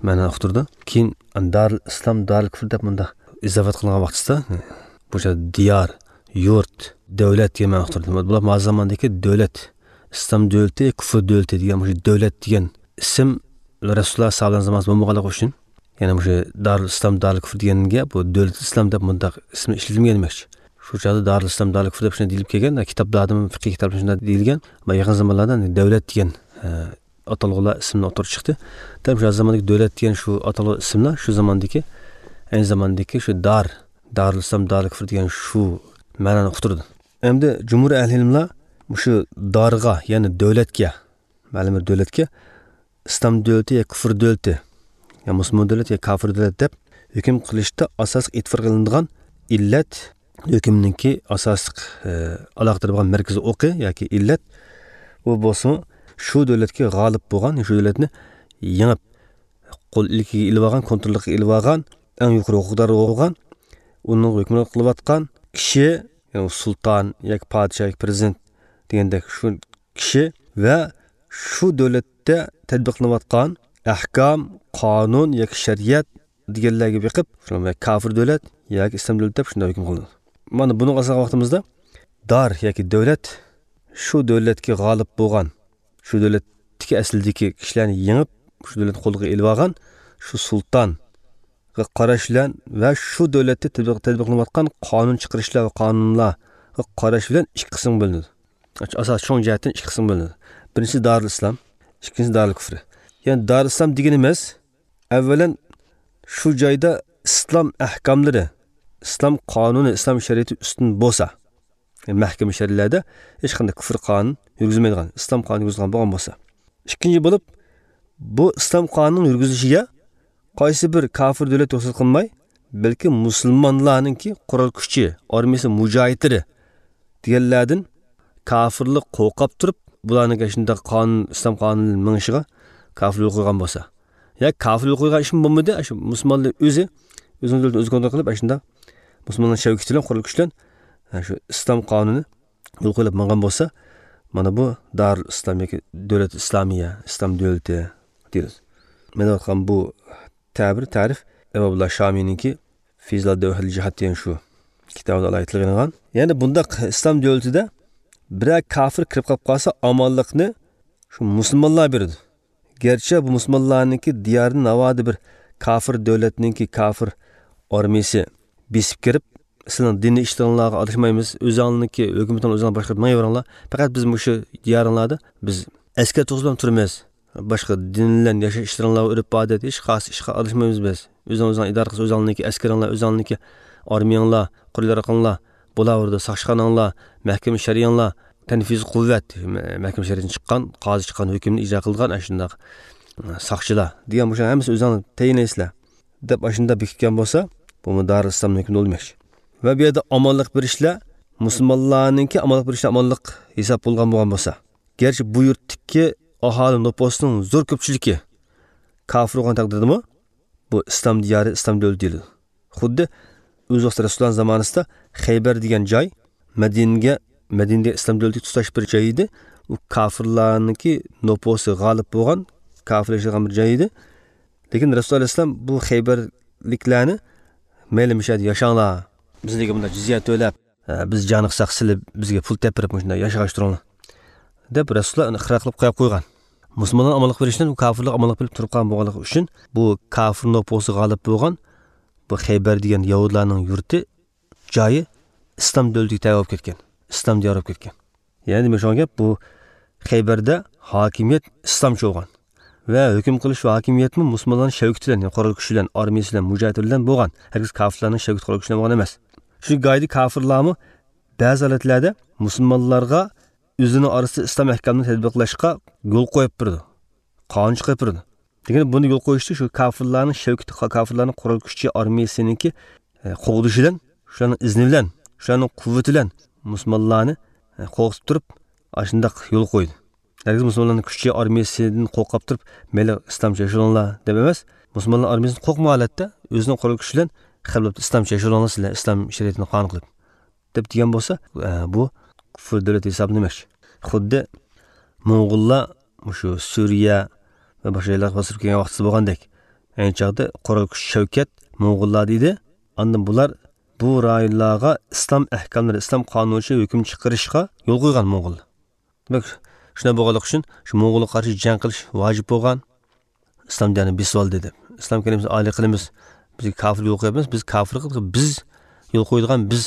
مەنانى ئۇقتۇرىدۇ. كېيىن دارىل ئىسلام، دارىل كۇفر دەپ مۇنداق ئىزاپەت قىلغان ۋاقتىسىدا بۇ دىيار، يۇرت، دۆلەت دېگەن مەنانى ئۇقتۇرىدۇ. بۇلار ھازىر زاماندىكى دۆلەت، ئىسلام دۆلىتى، كۇفر دۆلىتى دېگەن مۇشۇ دۆلەت دېگەن ئىسىم رەسۇلۇللا ساھابىلەرنىڭ زامانىسىدا بولمىغانلىقى ئۈچۈن، يەنى مۇشۇ دارىل ئىسلام، دارىل كۇفر دېگەنگە بۇ دۆلەت ئىسلام دەپ مۇنداق ئىسىمنى ئىشلىتىلمىگەن دېمەكچى. شۇ چاغدا دارىل ئىسلام، دارىل كۇفر دەپ شۇنداق دېيىلىپ كەلگەن. كىتابلاردىمۇ، فىقھىي كىتابلاردا شۇنداق دېيىلگەن. ئەمما يېقىن زامانلاردا دۆلەت دېگەن، ئە، ئاتالغۇلار ئىسىملار ئوتتۇرىغا چىقتى. دەل شۇ زاماندىكى دۆلەت دېگەن شۇ ئاتالغۇ ئىسىملار شۇ زاماندىكى، ئەينى زاماندىكى شۇ دار، دارىل ئىسلام، دارىل كۇفر دېگەن شۇ مەنانى ئۇقتۇرىدۇ. ئەمدى جۇمھۇر ئەھلى ئىلىملار مۇشۇ دارغا، يەنى دۆلەتكە، مەلۇم بىر دۆلەتكە ئىسلام دۆلىتى يا كۇفر دۆلىتى، يا مۇسۇلمان دۆلەت يا كافىر دۆلەت دەپ ھۆكۈم قىلىشتا ئاساسلىق ئېتىبار قىلىنىدىغان ئىللەت، ھۆكۈمنىڭكى ئاساسلىق، ئە، ئالاقىدار بولغان مەركىزىي ئوقى ياكى ئىللەت، ئۇ بولسىمۇ شۇ دۆلەتكە غالىب بولغان، شۇ دۆلەتنى يېڭىپ، قول ئىلكىگە ئېلىۋالغان، كونتروللۇقىغا ئېلىۋالغان، ئەڭ يۇقىرى ھوقۇقدار بولغان، ئۇنىڭ ھۆكۈمرانلىق قىلىۋاتقان كىشى، يەنى سۇلتان ياكى پادىشاھ ياكى پىرېزىدېنت دېگەندەك شۇ كىشى ۋە شۇ دۆلەتتە تەتبىقلىنىۋاتقان ئەھكام، قانۇن ياكى شەرىئەت دېگەنلەرگە بېقىپ، شۇ كافىر دۆلەت ياكى ئىسلام دۆلىتى دەپ شۇنداق ھۆكۈم قىلىنىدۇ. مانا بۇنىڭغا ئاساسلىغان ۋاقتىمىزدا دار ياكى دۆلەت شۇ دۆلەتكە غالىب بولغان، شۇ دۆلەتتىكى ئەسلىدىكى كىشىلەرنى يېڭىپ، شۇ دۆلەتنى قولىغا ئېلىۋالغان شۇ سۇلتانغا قاراش بىلەن ۋە شۇ دۆلەتتە تەتبىق-، تەتبىقلىنىۋاتقان قانۇن چىقىرىشلار ۋە قانۇنلارغا قاراش بىلەن ئىككى قىسىمغا بۆلۈنىدۇ. ئاساس چوڭ جەھەتتىن ئىككى قىسىمغا بۆلۈنىدۇ. بىرىنچىسى دارىل ئىسلام، ئىككىنچىسى دارىل كۇفرى. يەنى دارىل ئىسلام دېگىنىمىز، ئەۋۋەلەن، شۇ جايدا ئىسلام ئەھكاملىرى، ئىسلام قانۇنى، ئىسلام شەرىئىتى ئۈستۈن بولسا، مەھكىمە شەرئىلەردە ھېچقانداق كۇفر قانۇن يۈرگۈزۈلمەيدىغان، ئىسلام قانۇنى يۈرگۈزۈلگەن بولغان بولسا. ئىككىنچى بولۇپ، بۇ ئىسلام قانۇنىنىڭ يۈرگۈزۈلۈشىگە قايسى بىر كافىر دۆلەت رۇخسەت قىلماي، بەلكى مۇسۇلمانلارنىڭكى قورال كۈچى، ئارمىيىسى، مۇجاھىدلىرى دېگەنلەردىن كافىرلار قورقۇپ تۇرۇپ، بۇلارنىڭ شۇنداق قانۇن، ئىسلام قانۇنى مېڭىشىغا كاپىر يول قويغان بولسا، يا كاپىر يول قويغان ئىشمۇ بولمىدى، شۇ مۇسۇلمانلار ئۆزى، ئۆزىنىڭ دۆلىتىنى ئۆزى كونترول قىلىپ، شۇنداق مۇسۇلمانلار شەۋكىتى بىلەن، قورال كۈچى بىلەن، شۇ ئىسلام قانۇنى يول قويۇلۇپ ماڭغان بولسا، مانا بۇ دارۇل ئىسلام ياكى دۆلەت ئىسلامىيە، ئىسلام دۆلىتى دېيىلىدۇ. مەن ئېيتقان بۇ تەبىر، تەرىپ ئەبۇللا شامىنىڭكى فىزلا دەۋھەل جىھاد دېگەن شۇ كىتابىدا ئالاھىدە تىلغا ئېلىنغان. يەنى بۇنداق ئىسلام دۆلىتىدە بىرەر كافىر كىرىپ قاپ قالسا، ئامانلىقنى شۇ مۇسۇلمانلار بېرىدۇ. گەرچە بۇ مۇسۇلمانلارنىڭكى دىيارىنى ناۋادا بىر كافىر دۆلەتنىڭكى كافىر ئارمىيىسى بېسىپ كىرىپ، سىلەرنىڭ دىنىي ئىشلىرىڭلارغا ئارىلاشمايمىز، ئۆزۈڭلارنىڭكى ھۆكۈمىتىڭلار ئۆزۈڭلار باشقۇرۇپ مېڭىۋېرىڭلار، پەقەت بىز مۇشۇ دىيارىڭلاردا بىز ئەسكەر تۇرغۇزۇپ تۇرىمىز، باشقا دىن بىلەن ياشاش ئىشلىرىڭلارغا ئۆرپ ئادەت، ھېچقايسى ئىشقا ئارىلاشمايمىز بىز. ئۆزۈڭ ئۆزۈڭ ئىدارە قىلسا، ئۆزۈڭلارنىڭكى ئەسكىرىڭلار، ئۆزۈڭلارنىڭكى ئارمىيەڭلار، قورال ياراغىڭلار بولاۋېرىدۇ، ساقچىخاناڭلار، مەھكىمە شەرئىيەڭلار، تەنفىزىي قۇۋۋەت، مە-، مەھكىمە شەرئىيەتتىن چىققان، قازى چىققان ھۆكۈمنى ئىجرا قىلىدىغان ئاشۇنداق ساقچىلار دېگەن مۇشۇ ھەممىسى ئۆزۈڭلار تەيىنلەيسىلەر دەپ ئاشۇنداق بېكىتكەن بولسا، بۇمۇ دارىل ئىسلامنىڭ ھۆكمىدە بولماقچى. ۋە بۇ يەردە ئامانلىق بېرىشلەر، مۇسۇلمانلارنىڭكى ئامانلىق بېرىشلەر ئامانلىق ھېساب بولغان بولغان بولسا، گەرچە بۇ يۇرتتىكى ئاھالى نوپۇسنىڭ زور كۆپچىلىكى كافىر بولغان تەقدىردىمۇ، بۇ ئىسلام دىيارى، ئىسلام دۆلىتى دېيىلىدۇ. خۇددى ئۆز ۋاقتىدا رەسۇلۇللا زامانىسىدا خەيبەر دېگەن جاي مەدىنىگە، مەدىنىدە ئىسلام دۆلىتىگە تۇتاش بىر جاي ئىدى. ئۇ كافىرلارنىڭكى نوپۇسى غالىب بولغان، كافىر ياشايدىغان بىر جاي ئىدى. لېكىن رەسۇلۇللا ئەلەيھىسسالام بۇ خەيبەرلىكلەرنى، مەيلى مۇشۇ يەردە ياشاڭلار، بىزلەرگە بۇنداق جىزيە تۆلەپ، ئە، بىز جانىقساق سىلى بىزگە پۇل تېپىپ مۇشۇنداق ياشاغاچ تۇرۇڭلار دەپ رەسۇلۇللا ئۇنى ئىقرار قىلىپ قويۇپ قويغان. مۇسۇلمانلار ئامانلىق بېرىشتىن، بۇ كافىرلار ئامانلىق بېرىپ تۇرۇپ قالغان بولغانلىقى ئۈچۈن، بۇ كافىر نوپۇسى غالىب بولغان بۇ خەيبەر دېگەن يەھۇدىيلارنىڭ يۇرتى، جايى ئىسلام دۆلىتىگە تەۋە بولۇپ كەتكەن، ئىسلام دىيارى بولۇپ كەتكەن. يەنى دېمەكچى بولغان گەپ، بۇ خەيبەردە ھاكىمىيەت ئىسلامچە بولغان ۋە ھۆكۈم قىلىش ۋە ھاكىمىيەتمۇ مۇسۇلمانلارنىڭ شەۋكىتى بىلەن، يەنى قورال كۈچى بىلەن، ئارمىيىسى بىلەن، مۇجاھىدلىرى بىلەن بولغان. ھەرگىز كافىرلارنىڭ شەۋكىتى، قورال كۈچى بىلەن بولغان ئەمەس. شۇ گايدا كافىرلارمۇ بەزى ھالەتلەردە مۇسۇلمانلارغا ئۆزىنىڭ ئارىسىدا ئىسلام ئەھكامىنى تەتبىقلاشقا يول قويۇپ بېرىدۇ، قانۇن چىقىرىپ بېرىدۇ. لېكىن بۇنى يول قويۇشتا شۇ كافىرلارنىڭ شەۋكىتى، كافىرلارنىڭ قورال كۈچى، ئارمىيىسىنىڭكى، ئە، قوغدىشى بىلەن، شۇلارنىڭ ئىزنى بىلەن، شۇلارنىڭ قۇۋۋىتى بىلەن مۇسۇلمانلارنى، ئە، قورقۇتۇپ تۇرۇپ، ئاشۇنداق يول قويدى. ھەرگىز مۇسۇلمانلارنىڭ كۈچى، ئارمىيىسىدىن قورقۇپ تۇرۇپ، مەيلى ئىسلامچە ياشىۋېلىڭلار دەپ ئەمەس، مۇسۇلمانلار ئارمىيىسىدىن قورقمىغان ھالەتتە ئۆزىنىڭ قورال كۈچى بىلەن خەلققە ئىسلامچە ياشىۋېلىڭلار سىلەر، ئىسلام شەرىئىتىنى قانۇن قىلىپ دەپ دېگەن بولسا، ئە، بۇ كۇفر دۆلەت ھېسابلىنىمەكچى. خۇددى موڭغۇللار مۇشۇ سۈرىيە ۋە باشقا جايلارغا باستۇرۇپ كەلگەن ۋاقتىدا بولغاندەك، ئەينى چاغدا قورال كۈچ شەۋكەت موڭغۇللاردا ئىدى. ئاندىن بۇلار بۇ رايونلارغا ئىسلام ئەھكاملىرى، ئىسلام قانۇنى بويىچە ھۆكۈم چىقىرىشقا يول قويغان موڭغۇللار. دېمەك، شۇنداق بولغانلىقى ئۈچۈن شۇ موڭغۇلغا قارشى جەڭ قىلىش ۋاجىپ بولغان. ئىسلام دىيارىنى بېسىۋالدى دەپ، ئىسلام كەلىمىسىنى ئالىي قىلىمىز، بىزگە كافىر يول قويۇپ بېرىمىز، بىز كافىر قىلدۇق، بىز يول قويىدىغان، بىز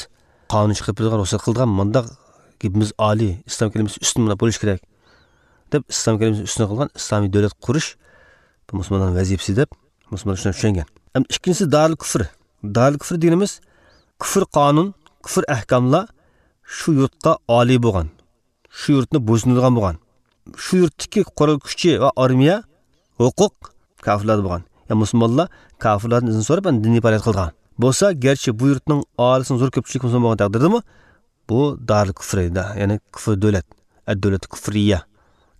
قانۇن چىقىرىپ بېرىدىغان، رۇخسەت قىلىدىغان مۇنداق گېپىمىز ئالىي، ئىسلام كەلىمىسى ئۈستۈن مۇنداق بولۇشى كېرەك دەپ، ئىسلام كەلىمىسىنى ئۈستۈن قىلغان ئىسلامىي دۆلەت قۇرۇش، بۇ مۇسۇلمانلارنىڭ ۋەزىپىسى دەپ مۇسۇلمانلار شۇنداق چۈشەنگەن. ئەمدى ئىككىنچىسى دارىل كۇفر. دارىل كۇفر دېگىنىمىز كۇفر قانۇن، كۇفر ئەھكاملار شۇ يۇرتقا ئالىي بولغان، شۇ يۇرتنى بويسۇندۇرىدىغان بولغان. شۇ يۇرتتىكى قورال كۈچى ۋە ئارمىيە، ھوقۇق كافىرلاردا بولغان. يا مۇسۇلمانلار كافىرلاردىن ئىزىن سوراپ، ئاندىن دىنىي پائالىيەت قىلىدىغان. بولسا، گەرچە بۇ يۇرتنىڭ ئاھالىسىنىڭ زور كۆپچىلىكى مۇسۇلمان بولغان تەقدىردىمۇ، بۇ دارىل كۇفر، يەنى كۇفر دۆلەت، ئەد دۆلەت كۇفرىيە،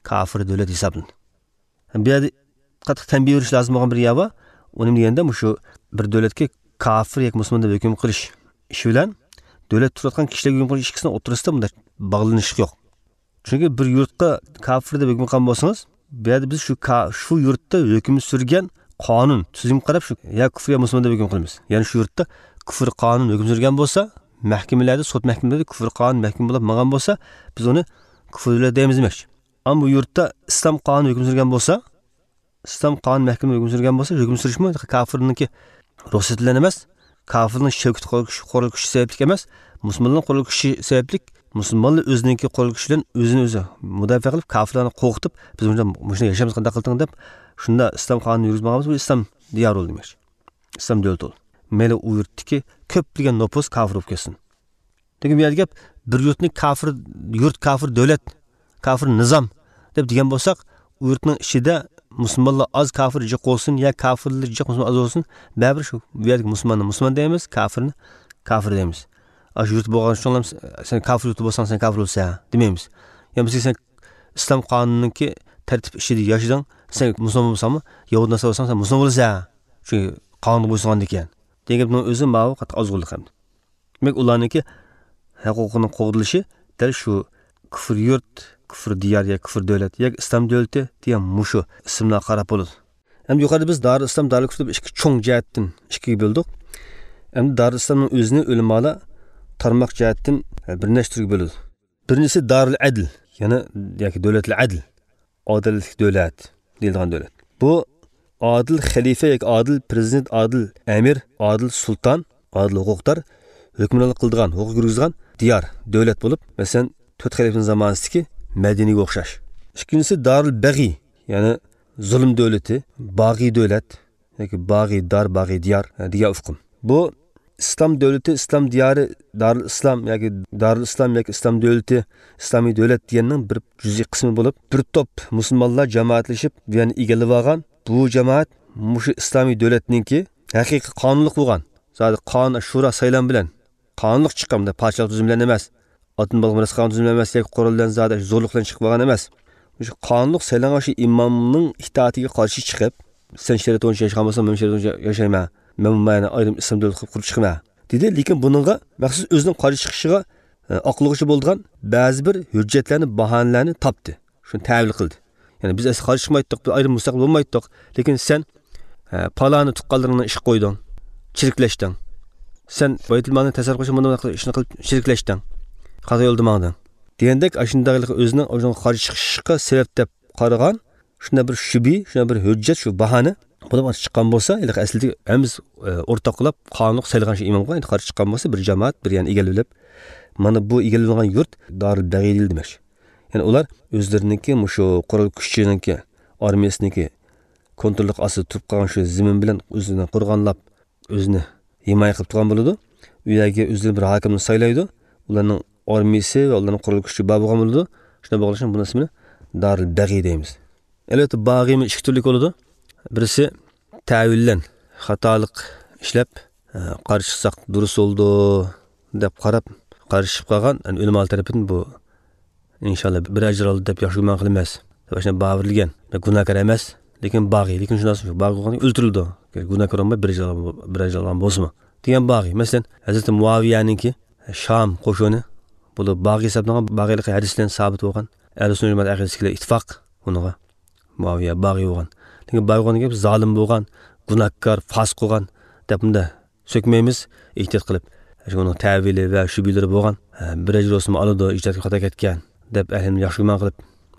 كافىر دۆلەت ھېسابلىنىدۇ. بۇ يەردە قاتتىق تەنبىھ بېرىش لازىم بولغان بىر يەر بار. ئۇ نېمە دېگەندە، مۇشۇ بىر دۆلەتكە كافىر ياكى مۇسۇلمان دەپ ھۆكۈم قىلىش ئىشى بىلەن دۆلەت تۇرۇۋاتقان كىشىلەرگە ھۆكۈم قىلىش ئىككىسىنىڭ ئوتتۇرىسىدا بۇنداق باغلىنىشلىق يوق. چۈنكى بىر يۇرتقا كافىر دەپ ھۆكۈم قىلغان بولسىڭىز، بۇ يەردە بىز شۇ كا-، شۇ يۇرتتا ھۆكۈم سۈرگەن قانۇن، تۈزۈمگە قاراپ شۇ يا كۇفر يا مۇسۇلمان دەپ ھۆكۈم قىلىمىز. يەنى شۇ يۇرتتا كۇفر قانۇن ھۆكۈم سۈرگەن بولسا، مەھكىمىلەردە، سوت مەھكىمىلىرىدە كۇفر قانۇن مەھكۇم بولۇپ ماڭغان بولسا، بىز ئۇنى كۇفر دۆلەت دەيمىز دېمەكچى. ئەمما بۇ يۇرتتا ئىسلام قانۇنى ھۆكۈم سۈرگەن بولسا، ئىسلام قانۇن مەھكىمە ھۆكۈم سۈرگەن بولسا، ھۆكۈم سۈرۈشمۇ كافىرنىڭكى رۇخسىتى بىلەن ئەمەس، كافىرنىڭ شەۋكىتى، قورال كۈچى، قورال كۈچى سەۋەبلىك ئەمەس، مۇسۇلمانلارنىڭ قورال كۈچى سەۋەبلىك، مۇسۇلمانلار ئۆزىنىڭكى قورال كۈچى بىلەن ئۆزىنى ئۆزى مۇداپىئە قىلىپ، كافىرلارنى قورقۇتۇپ، بىز مۇشۇنداق، مۇشۇنداق ياشايمىز، قانداق قىلدىڭ دەپ، شۇنداق ئىسلام قانۇنى يۈرگۈزۈپ ماڭغان بولسا، بۇ ئىسلام دىيارى بولدى دېمەكچى. ئىسلام دۆلىتى بولدى. مەيلى ئۇ يۇرتتىكى كۆپلىگەن نوپۇس كافىر بولۇپ كەتسۇن. لېكىن بۇ يەردە گەپ بىر يۇرتنى كافىر يۇرت، كافىر دۆلەت، كافىر نىزام دەپ دېگەن بولساق، ئۇ يۇرتنىڭ ئىچىدە مۇسۇلمانلار ئاز، كافىر جىق بولسۇن يا كافىرلار جىق، مۇسۇلمان ئاز بولسۇن، بەرىبىر شۇ بۇ يەردىكى مۇسۇلماننى مۇسۇلمان دەيمىز، كافىرنى كافىر دەيمىز. ئاشۇ يۇرت بولغان شۇڭلام سەن كافىر يۇرتى بولساڭ، سەن كافىر بولىسەن دېمەيمىز. يا بىزگە سەن ئىسلام قانۇنىنىڭكى تەرتىپ ئىچىدە ياشىدىڭ، سەن مۇسۇلمان بولساڭمۇ، يەھۇدىي ناسارا بولساڭ، سەن مۇسۇلمان بولىسەن. چۈنكى قانۇنغا بويسۇنغاندىكىن. دېگەن گەپنىڭ ئۆزى ماۋۇ قاتتىق ئازغۇنلۇق ئەمدى. دېمەك، ئۇلارنىڭكى ھەقۇقىنىڭ قوغدىلىشى دەل شۇ كۇفر يۇرت، كۇفر دىيار يا كۇفر دۆلەت يا ئىسلام دۆلىتى دېگەن مۇشۇ ئىسىملارغا قاراپ بولىدۇ. ئەمدى يۇقىرىدا بىز دارىل ئىسلام، دارىل كۇفر دەپ ئىككى چوڭ جەھەتتىن ئىككىگە بۆلدۇق. ئەمدى دارىل ئىسلامنىڭ ئۆزىنى ئۆلىمالار تارماق جەھەتتىن، ئە، بىر نەچچە تۈرگە بۆلىدۇ. بىرىنچىسى دارىل ئەدل، يەنى ياكى دۆلەتلەر ئەدل، ئادالەتلىك دۆلەت دېيىلىدىغان دۆلەت. بۇ ئادىل خەلىپە ياكى ئادىل پىرېزىدېنت، ئادىل ئەمىر، ئادىل سۇلتان، ئادىل ھوقۇقدار ھۆكۈمرانلىق قىلىدىغان، ھوقۇق يۈرگۈزىدىغان دىيار، دۆلەت بولۇپ، مەسىلەن، تۆت خەلىپىنىڭ زامانىسىدىكى مەدىنىگە ئوخشاش. ئىككىنچىسى دارىل بەغىي، يەنى زۇلۇم دۆلىتى، باغىي دۆلەت ياكى باغىي دار، باغىي دىيار، ئە، دېگەن ئۇقۇم. بۇ ئىسلام دۆلىتى، ئىسلام دىيارى، دارىل ئىسلام ياكى دارىل ئىسلام ياكى ئىسلام دۆلىتى، ئىسلامىي دۆلەت دېگەننىڭ بىر جۈزئىي قىسمى بولۇپ، بىر توپ مۇسۇلمانلار جامائەتلىشىپ بۇ يەرنى ئىگىلىۋالغان. بۇ جامائەت مۇشۇ ئىسلامىي دۆلەتنىڭكى ھەقىقىي قانۇنلۇق بولغان، زادى قانۇن شورا سايلام بىلەن قانۇنلۇق چىققان، پادىشاھلىق تۈزۈمى بىلەن ئەمەس، ئاتتىن بالغا مىراس قالغان تۈزۈم ئەمەس ياكى قورال بىلەن زادى زورلۇق بىلەن چىقىپ بولغان ئەمەس. مۇشۇ قانۇنلۇق سايلانغان شۇ ئىمامنىڭ ئىتائىتىگە قارشى چىقىپ، سەن شەرىئەت بويىچە ياشىغان بولساڭ، مەن شەرىئەت بويىچە ياشايمەن، مەن مانا ئايرىم ئىسلام دۆلىتى قۇرۇپ چىقىمەن، دېدى. لېكىن بۇنىڭغا مەخسۇس ئۆزىنىڭ قارشى چىقىشىغا، ئە، ئاقلىغۇچى بولىدىغان بەزى بىر ھۆججەتلەرنى، باھانىلەرنى تاپتى. شۇنى تەۋىل قىلدى. يەنى بىز ئەسلى قارشى چىقمايتتۇق، بىز ئايرىم مۇستەقىل بولمايتتۇق. لېكىن سەن، ئە، پالانى تۇغقانلىرىڭنى ئىشقا قويدۇڭ، چىرىكلەشتىڭ. سەن بايتۇلمالنى تەسەررۇپ قىلىشقا مۇنداق ئىشنى قىلىپ چىرىكلەشتىڭ. خاتا يولدا ماڭدىڭ. دېگەندەك، ئاشۇنداق ئۆزىنىڭ، ئۆزىنىڭ قارشى چىقىشقا سەۋەب دەپ قارىغان شۇنداق بىر شۈبھە، شۇنداق بىر ھۆججەت، شۇ باھانە بولۇپ چىققان بولسا، ھېلىقى ئەسلىدە ھەممىمىز، ئە، ئورتاق قىلىپ قانۇنلۇق سايلىغان شۇ ئىمامغا ئەمدى قارشى چىققان بولسا، بىر جامائەت، بىر يەرنى ئىگىلىۋېلىپ، مانا بۇ ئىگىلىۋالغان يۇرت دارىل بەغىي دېمەكچى. يەنى ئۇلار ئۆزلىرىنىڭكى مۇشۇ قورال كۈچىنىڭكى، ئارمىيەسىنىڭكى كونتروللۇق ئاستىدا تۇرۇپ قالغان شۇ زېمىن بىلەن ئۆزىنى قورغانلاپ، ئۆزىنى ھىمايە قىلىپ تۇرغان بولىدۇ. ئۇ يەرگە ئۆزلىرى بىر ھاكىمنى سايلايدۇ. ئۇلارنىڭ ئارمىيىسى ۋە ئۇلارنىڭ قورال كۈچى بار بولغان بولىدۇ. شۇنداق بولغان ئۈچۈن بۇنىڭ ئىسمىنى دارىل بەغىي دەيمىز. ئەلۋەتتە، باغىمۇ ئىككى تۈرلۈك بولىدۇ. بىرسى تەۋىللەن خاتالىق ئىشلەپ، ئە، قارشى چىقساق دۇرۇس بولىدۇ دەپ قاراپ، قارشى چىقىپ قالغان، يەنى ئۆلىمالار تەرىپىدىن بۇ ئىنشاللا بىر ئەجىر ئالدى دەپ ياخشى گۇمان قىلىمىز دەپ ئاشۇنداق باۋۇرلىگەن. گۇناھكار ئەمەس، لېكىن باغىي، لېكىن شۇنداق باغىي بولغان ئۆلتۈرۈلىدۇ. گۇناھكار بولماي بىر ئەجىر ئالغان، بىر ئەجىر ئالغان بولسىمۇ دېگەن باغىي. مەسىلەن، ھەزرىتى مۇئاۋىيەنىڭكى شام قوشۇنى، بۇلار باغىي ھېسابلانغان، باغىيلىقى ھەدىس بىلەن سابىت بولغان. ئەھلى سۈننە جامائەت ئەقىدىسىدىكىلەر ئىتتىپاق ئۇنىڭغا، مۇئاۋىيە باغىي بولغان. لېكىن باغىي بولغان دېگەن زالىم بولغان، گۇناھكار، فاسىق بولغان دەپ بۇنداق سۆكمەيمىز، ئېھتىيات قىلىپ. شۇ ئۇنىڭ تەۋىلى ۋە شۈبھىلىرى بولغان، ھە، بىر ئەجىر بولسىمۇ ئالىدۇ، ئىجتىھادقا خاتا كەتكەن دەپ ئەھلىنى ياخشى گۇمان قىلىپ،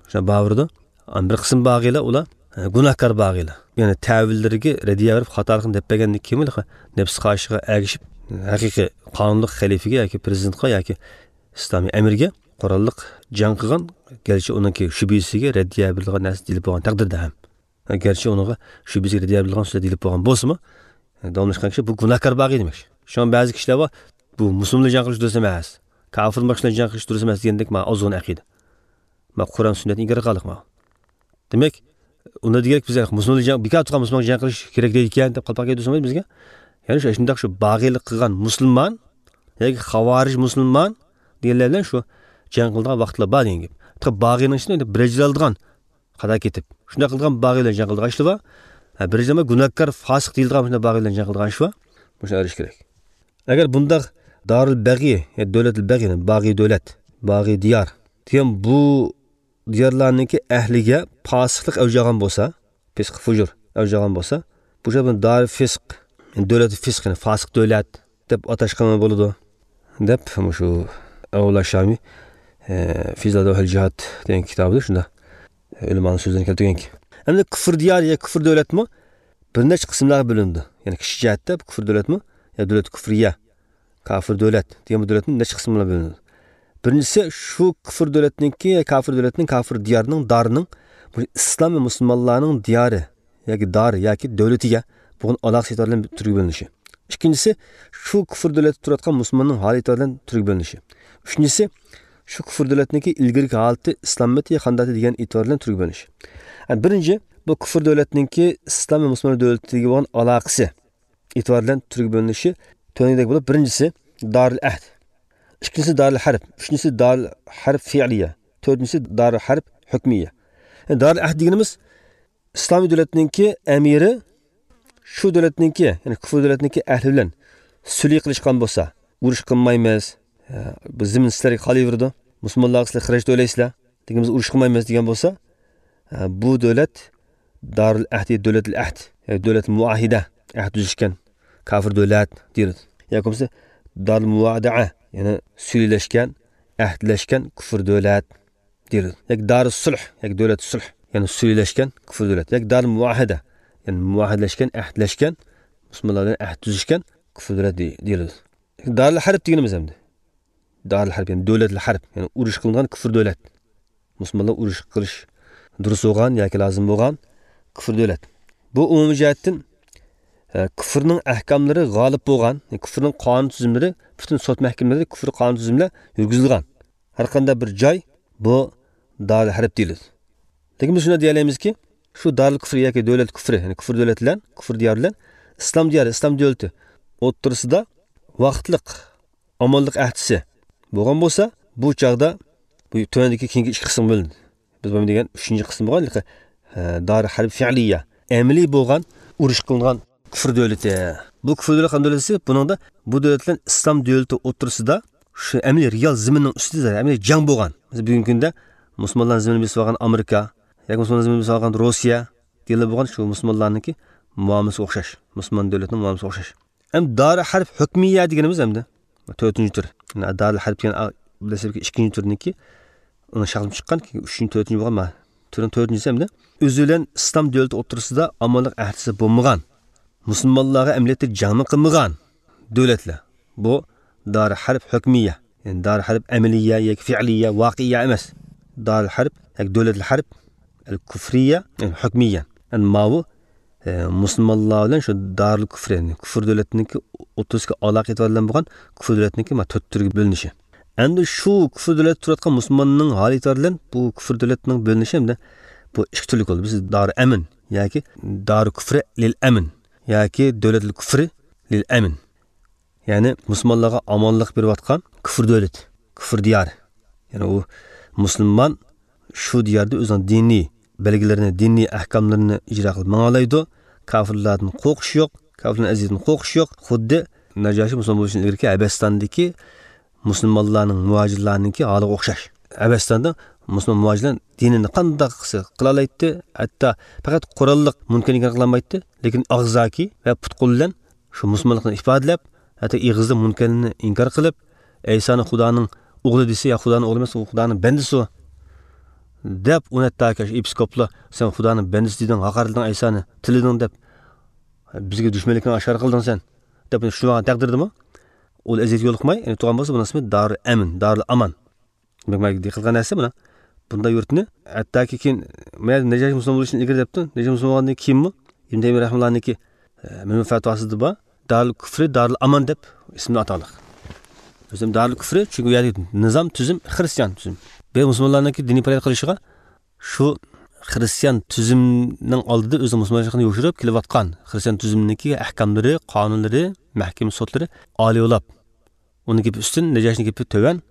شۇنداق باۋۇرىدۇ. ئەمما بىر قىسىم باغىيلار ئۇلار، ھە، گۇناھكار باغىيلار. يەنى تەۋىللىرىگە رەددىيە بېرىپ خاتالىقنى دەپ بەرگەندىن كېيىن نەپس خاھىشىغا ئەگىشىپ، ھەقىقىي قانۇنلۇق خەلىپىگە ياكى پىرېزىدېنتقا ياكى ئىسلامىي ئەمىرگە قوراللىق جەڭ قىلغان، گەرچە ئۇنىڭكى شۈبھىسىگە رەددىيە بېرىدىغان نەرسە دېيىلىپ بولغان تەقدىردە ھەم. گەرچە ئۇنىڭغا شۈبھىسىگە رەددىيە بېرىدىغان سۆزلەر دېيىلىپ بولغان بولسىمۇ، داۋاملاشقان كىشى بۇ گۇناھكار باغىي دېمەكچى. شۇڭا بەزى كىشىلەر بار، بۇ مۇسۇلمانلار جەڭ قىلىش دۇرۇس ئەمەس، كاپىر باشقىلار جەڭ قىلىش دۇرۇس ئەمەس دېگەندەك مانا ئازغۇن ئەقىدە. مانا قۇرئان سۈننەتنى ئىنكار قىلغانلىق مانا. دېمەك، ئۇندا دېگەنلىك بىز مۇسۇلمانلار جەڭ، بىكار تۇرغان مۇسۇلمانلار جەڭ قىلىش كېرەك دەيدىكەن دەپ قالپاق يەيدۇ بىزگە. يەنى شۇ شۇنداق شۇ باغىيلىق قىلغان مۇسۇلمان ياكى خاۋارىج مۇسۇلمان دېگەنلەر بىلەن شۇ جەڭ قىلىدىغان ۋاقىتلار بار دېگەن گەپ. باغىينىڭ ئىچىدە ئەمدى بىر ئەجىر ئالىدىغان، خاتا كېتىپ، شۇنداق قىلىدىغان باغىي بىلەن جەڭ قىلىدىغان ئىشلار بار. ھە، بىر ئەجىر ئالماي گۇناھكار، فاسىق دېيىلىدىغان شۇنداق باغىي بىلەن جەڭ قىلىدىغان ئىش بار. مۇشۇنى ئايرىش كېرەك. ئەگەر بۇنداق دارىل بەغىي، يا دۆلەتىل بەغىي، باغىي دۆلەت، باغىي دىيار دېگەن بۇ دىيارلارنىڭكى ئەھلىگە پاسىقلىق ئەۋج ئالغان بولسا، پىسق، فۇجۇر ئەۋج ئالغان بولسا، بۇ جايدا بۇنى دارىل فىسق، دۆلەتى فىسق، يەنى فاسىق دۆلەت دەپ ئاتاشقىمۇ بولىدۇ، دەپ مۇشۇ ئەبۇللا شامى، ئە، فىزادۇھەل جىھاد دېگەن كىتابىدا شۇنداق ئۆلىمانىڭ سۆزلىرىنى كەلتۈرگەنكەن. ئەمدى كۇفر دىيار يا كۇفر دۆلەتمۇ بىر نەچچە قىسىملارغا بۆلۈنىدۇ. يەنى كىشى جەھەتتە بۇ كۇفر دۆلەتمۇ يا دۆلەت كۇفرىيە، كافىر دۆلەت دېگەن بۇ دۆلەتنىڭ نەچچە قىسمىغا بۆلۈنىدۇ. بىرىنچىسى، شۇ كۇفر دۆلەتنىڭكى، كافىر دۆلەتنىڭ، كافىر دىيارىنىڭ، دارىنىڭ بۇ ئىسلام ۋە مۇسۇلمانلارنىڭ دىيارى ياكى دارى ياكى دۆلىتىگە بولغان ئالاقىسى ئېتىبارى بىلەن تۈرگە بۆلۈنۈشى. ئىككىنچىسى، شۇ كۇفر دۆلەتتە تۇرۇۋاتقان مۇسۇلماننىڭ ھالى ئېتىبارى بىلەن تۈرگە بۆلۈنۈشى. ئۈچىنچىسى، شۇ كۇفر دۆلەتنىڭكى ئىلگىرىكى ھالىتى ئىسلاممىتى يا قانداقتى دېگەن ئېتىبار بىلەن تۈرگە بۆلۈنۈشى. يەنى بىرىنچى، بۇ كۇفر دۆلەتنىڭكى ئىسلام ۋە مۇسۇلمان دۆلىتىگە بولغان ئالاقىسى ئېتىبار بىلەن تۈرگە بۆلۈنۈشى تۆۋەندىكىدەك بولۇپ، بىرىنچىسى دارىل ئەھد، ئىككىنچىسى دارىل ھەرب، ئۈچىنچىسى دارىل ھەرب فېئلىيە، تۆتىنچىسى دارىل ھەرب ھۆكمىيە. دارىل ئەھد دېگىنىمىز ئىسلامىي دۆلەتنىڭكى ئەمىرى شۇ دۆلەتنىڭكى، يەنى كۇفر دۆلەتنىڭكى ئەھلى بىلەن سۈلھى قىلىشقان بولسا، ئۇرۇش قىلمايمىز، بىز زېمىن سىلەرگە قالىۋېرىدۇ، مۇسۇلمانلارغا سىلەر خىراج تۆلەيسىلەر، لېكىن بىز ئۇرۇش قىلمايمىز دېگەن بولسا، بۇ دۆلەت دارىل ئەھد، دۆلەتىل ئەھد، يەنى دۆلەت مۇئاھىدە، ئەھد تۈزۈشكەن كافىر دۆلەت دېيىلىدۇ. ياكى بولمىسا دارىل مۇۋادىئە، يەنى سۈلھىلەشكەن، ئەھدلەشكەن كۇفر دۆلەت دېيىلىدۇ. ياكى دارىل سۇلھ، ياكى دۆلەت سۇلھ، يەنى سۈلھىلەشكەن كۇفر دۆلەت. ياكى دارىل مۇئاھىدە، يەنى مۇئاھىدىلەشكەن، ئەھدلەشكەن، مۇسۇلمانلار بىلەن ئەھد تۈزۈشكەن كۇفر دۆلەت دېي-، دېيىلىدۇ. دارىل ھەرب دېگىنىمىز ئەمدى. دارىل ھەرب، يەنى دۆلەتلىك ھەرب، يەنى ئۇرۇش قىلىنغان كۇفر دۆلەت. مۇسۇلمانلار ئۇرۇش قىلىش دۇرۇس بولغان ياكى لازىم بولغان كۇفر دۆلەت. بۇ ئومۇمىي جەھەتتىن، ئە، كۇفرنىڭ ئەھكاملىرى غالىب بولغان، كۇفرنىڭ قانۇن تۈزۈملىرى، پۈتۈن سوت مەھكىمىلىرى كۇفر قانۇن تۈزۈملەر يۈرگۈزۈلگەن. ھەر قانداق بىر جاي بۇ دارىل ھەرب دېيىلىدۇ. لېكىن بىز شۇنداق دېيەلەيمىزكى، شۇ دارىل كۇفر ياكى دۆلەت كۇفرى، يەنى كۇفر دۆلەت بىلەن، كۇفر دىيار بىلەن ئىسلام دىيارى، ئىسلام دۆلىتى ئوتتۇرىسىدا ۋاقىتلىق ئامانلىق ئەھدىسى بولغان بولسا، بۇ چاغدا بۇ تۆۋەندىكى كېيىنكى ئىككى قىسىمغا بۆلۈنىدۇ. بىز بۇنى دېگەن ئۈچىنچى قىسىم بولغان، ئە، دارىل ھەرب فىئلىيە، ئەمەلىي بولغان، ئۇرۇش قىلىنغان كۇفر دۆلىتى. بۇ كۇفر دۆلەت قانداق دۆلەتسى؟ بۇنىڭدا بۇ دۆلەت بىلەن ئىسلام دۆلىتى ئوتتۇرىسىدا شۇ ئەمەلىي رېئال زېمىننىڭ ئۈستىدە ئەمەلىي جەڭ بولغان. مەسىلەن، بۈگۈنكى كۈندە مۇسۇلمانلارنىڭ زېمىنىنى بېسىپ ئالغان ئامېرىكا ياكى مۇسۇلمانلارنىڭ زېمىنىنى بېسىپ ئالغان روسىيە دېيىلىپ بولغان شۇ مۇسۇلمانلارنىڭكى مۇئامىلىسىگە ئوخشاش. مۇسۇلمان دۆلەتنىڭ مۇئامىلىسىگە ئوخشاش. ئەمدى دارىل ھەرب ھۆكمىيە دېگىنىمىز ئەمدى تۆتىنچى تۈر. دارىل ھەرب دېگەن دەسلەپكى ئىككىنچى تۈرنىڭكى، ئۇنىڭ شەكلى چىققان، كېيىن ئۈچىنچى، تۆتىنچى بولغان، ما، تۈرنىڭ تۆتىنچىسى ئەمدى. ئۆزى بىلەن ئىسلام دۆلىتى ئوتتۇرىسىدا ئامانلىق ئەھدىسى بولمىغان، مۇسۇلمانلارغا ئەمەلىيەتتە جەڭمۇ قىلمىغان دۆلەتلەر. بۇ دارىل ھەرب ھۆكمىيە، يەنى دارىل ھەرب ئەمەلىيە ياكى فىئلىيە، ۋاقىئىيە ئەمەس. دارىل ھەرب ياكى دۆلەتلىك ھەرب، ئەل كۇفرىيە، يەنى ھۆكمىيە. يەنى ماۋۇ، ئە، مۇسۇلمانلار بىلەن شۇ دارىل كۇفر، يەنى كۇفر دۆلەتنىڭكى ئوتتۇرىسىدىكى ئالاقە ئېتىبارى بىلەن بولغان كۇفر دۆلەتنىڭكى ما تۆت تۈرگە بۆلۈنۈشى. ئەمدى شۇ كۇفر دۆلەتتە تۇرۇۋاتقان مۇسۇلماننىڭ ھالى ئېتىبارى بىلەن بۇ كۇفر دۆلەتنىڭ بۆلۈنۈشى ئەمدى بۇ ئىككى تۈرلۈك بولدى. بىز دارى ئەمىن ياكى دارى كۇفرى لىل ئەمىن ياكى دۆلەتلىك كۇفرى لىل ئەمىن. يەنى مۇسۇلمانلارغا ئامانلىق بېرىۋاتقان كۇفر دۆلىتى، كۇفر دىيارى. يەنى ئۇ مۇسۇلمان شۇ دىياردا ئۆزىنىڭ دىنىي بەلگىلىرىنى، دىنىي ئەھكاملىرىنى ئىجرا قىلىپ ماڭالايدۇ. كاپىرلاردىن قورقۇشى يوق، كاپىرلارنىڭ ئەزىيىتىدىن قورقۇشى يوق. خۇددى نەجاشى مۇسۇلمان بولۇشتىن ئىلگىرىكى ھەبەستاندىكى مۇسۇلمانلارنىڭ، مۇھاجىرلارنىڭكى ھالىغا ئوخشاش. ھەبەستاندا مۇسۇلمان مۇھاجىرلار دىنىنى قانداق قىلسا قىلالايتتى، ھەتتا پەقەت قوراللىق مۇنكەرنى ئىنكار قىلالمايتتى، لېكىن ئاغزاكى ۋە پۇت-قول بىلەن شۇ مۇسۇلمانلىقىنى ئىپادىلەپ، ھەتتا ئېغىزدا مۇنكەرنى ئىنكار قىلىپ، ئەيسانى خۇدانىڭ ئوغلى دېسە، يا خۇدانىڭ ئوغلى ئەمەس، ئۇ خۇدانىڭ بەندىسى ئۇ، دەپ، ئۇنى ھەتتاكى شۇ ئېپىسكوپلار، سەن خۇدانىڭ بەندىسى دېدىڭ، ھاقارەتلىدىڭ ئەيسانى، تىللىدىڭ دەپ، بىزگە دۈشمەنلىكىڭنى ئاشكارا قىلدىڭ سەن، دەپ، شۇ تەقدىردىمۇ ئۇ ئەزىيەتكە يولۇقماي، يەنى تۇرغان بولسا، بۇنىڭ ئىسمى دارىل ئەمىن، دارىل ئامان. دېمەك، مانا دىققەت قىلغان نەرسە مانا. بۇنداق يۇرتنى ھەتتاكى كېيىن، مەن نەجاشى مۇسۇلمان بولۇشتىن ئىلگىرى دەپتۇ. نەجاشى مۇسۇلمان بولغاندىن كېيىنمۇ ئىبن تەيمىيە رەھمەتۇللانىڭكى، ئە، مەجمۇ فەتۋاسىدا بار. دارىل كۇفرى، دارىل ئامان دەپ ئىسمىنى ئاتاقلىق. ئۆزۈم دارىل كۇفرى، چۈنكى ئۇ يەردىكى نىزام، تۈزۈم خىرىستىيان تۈزۈم. بۇ مۇسۇلمانلارنىڭكى دىنىي پائالىيەت قىلىشىغا شۇ خىرىستىيان تۈزۈمنىڭ ئالدىدا ئۆزىنىڭ مۇسۇلمانچىلىقىنى يوشۇرۇپ كېلىۋاتقان خىرىستىيان تۈزۈمىنىڭكى ئەھكاملىرى، قانۇنلىرى، مەھكىمە سوتلىرى ئالىيولاپ، ئۇنىڭ گېپى ئۈستۈن، نەجاشىنىڭ گېپى تۆۋەن.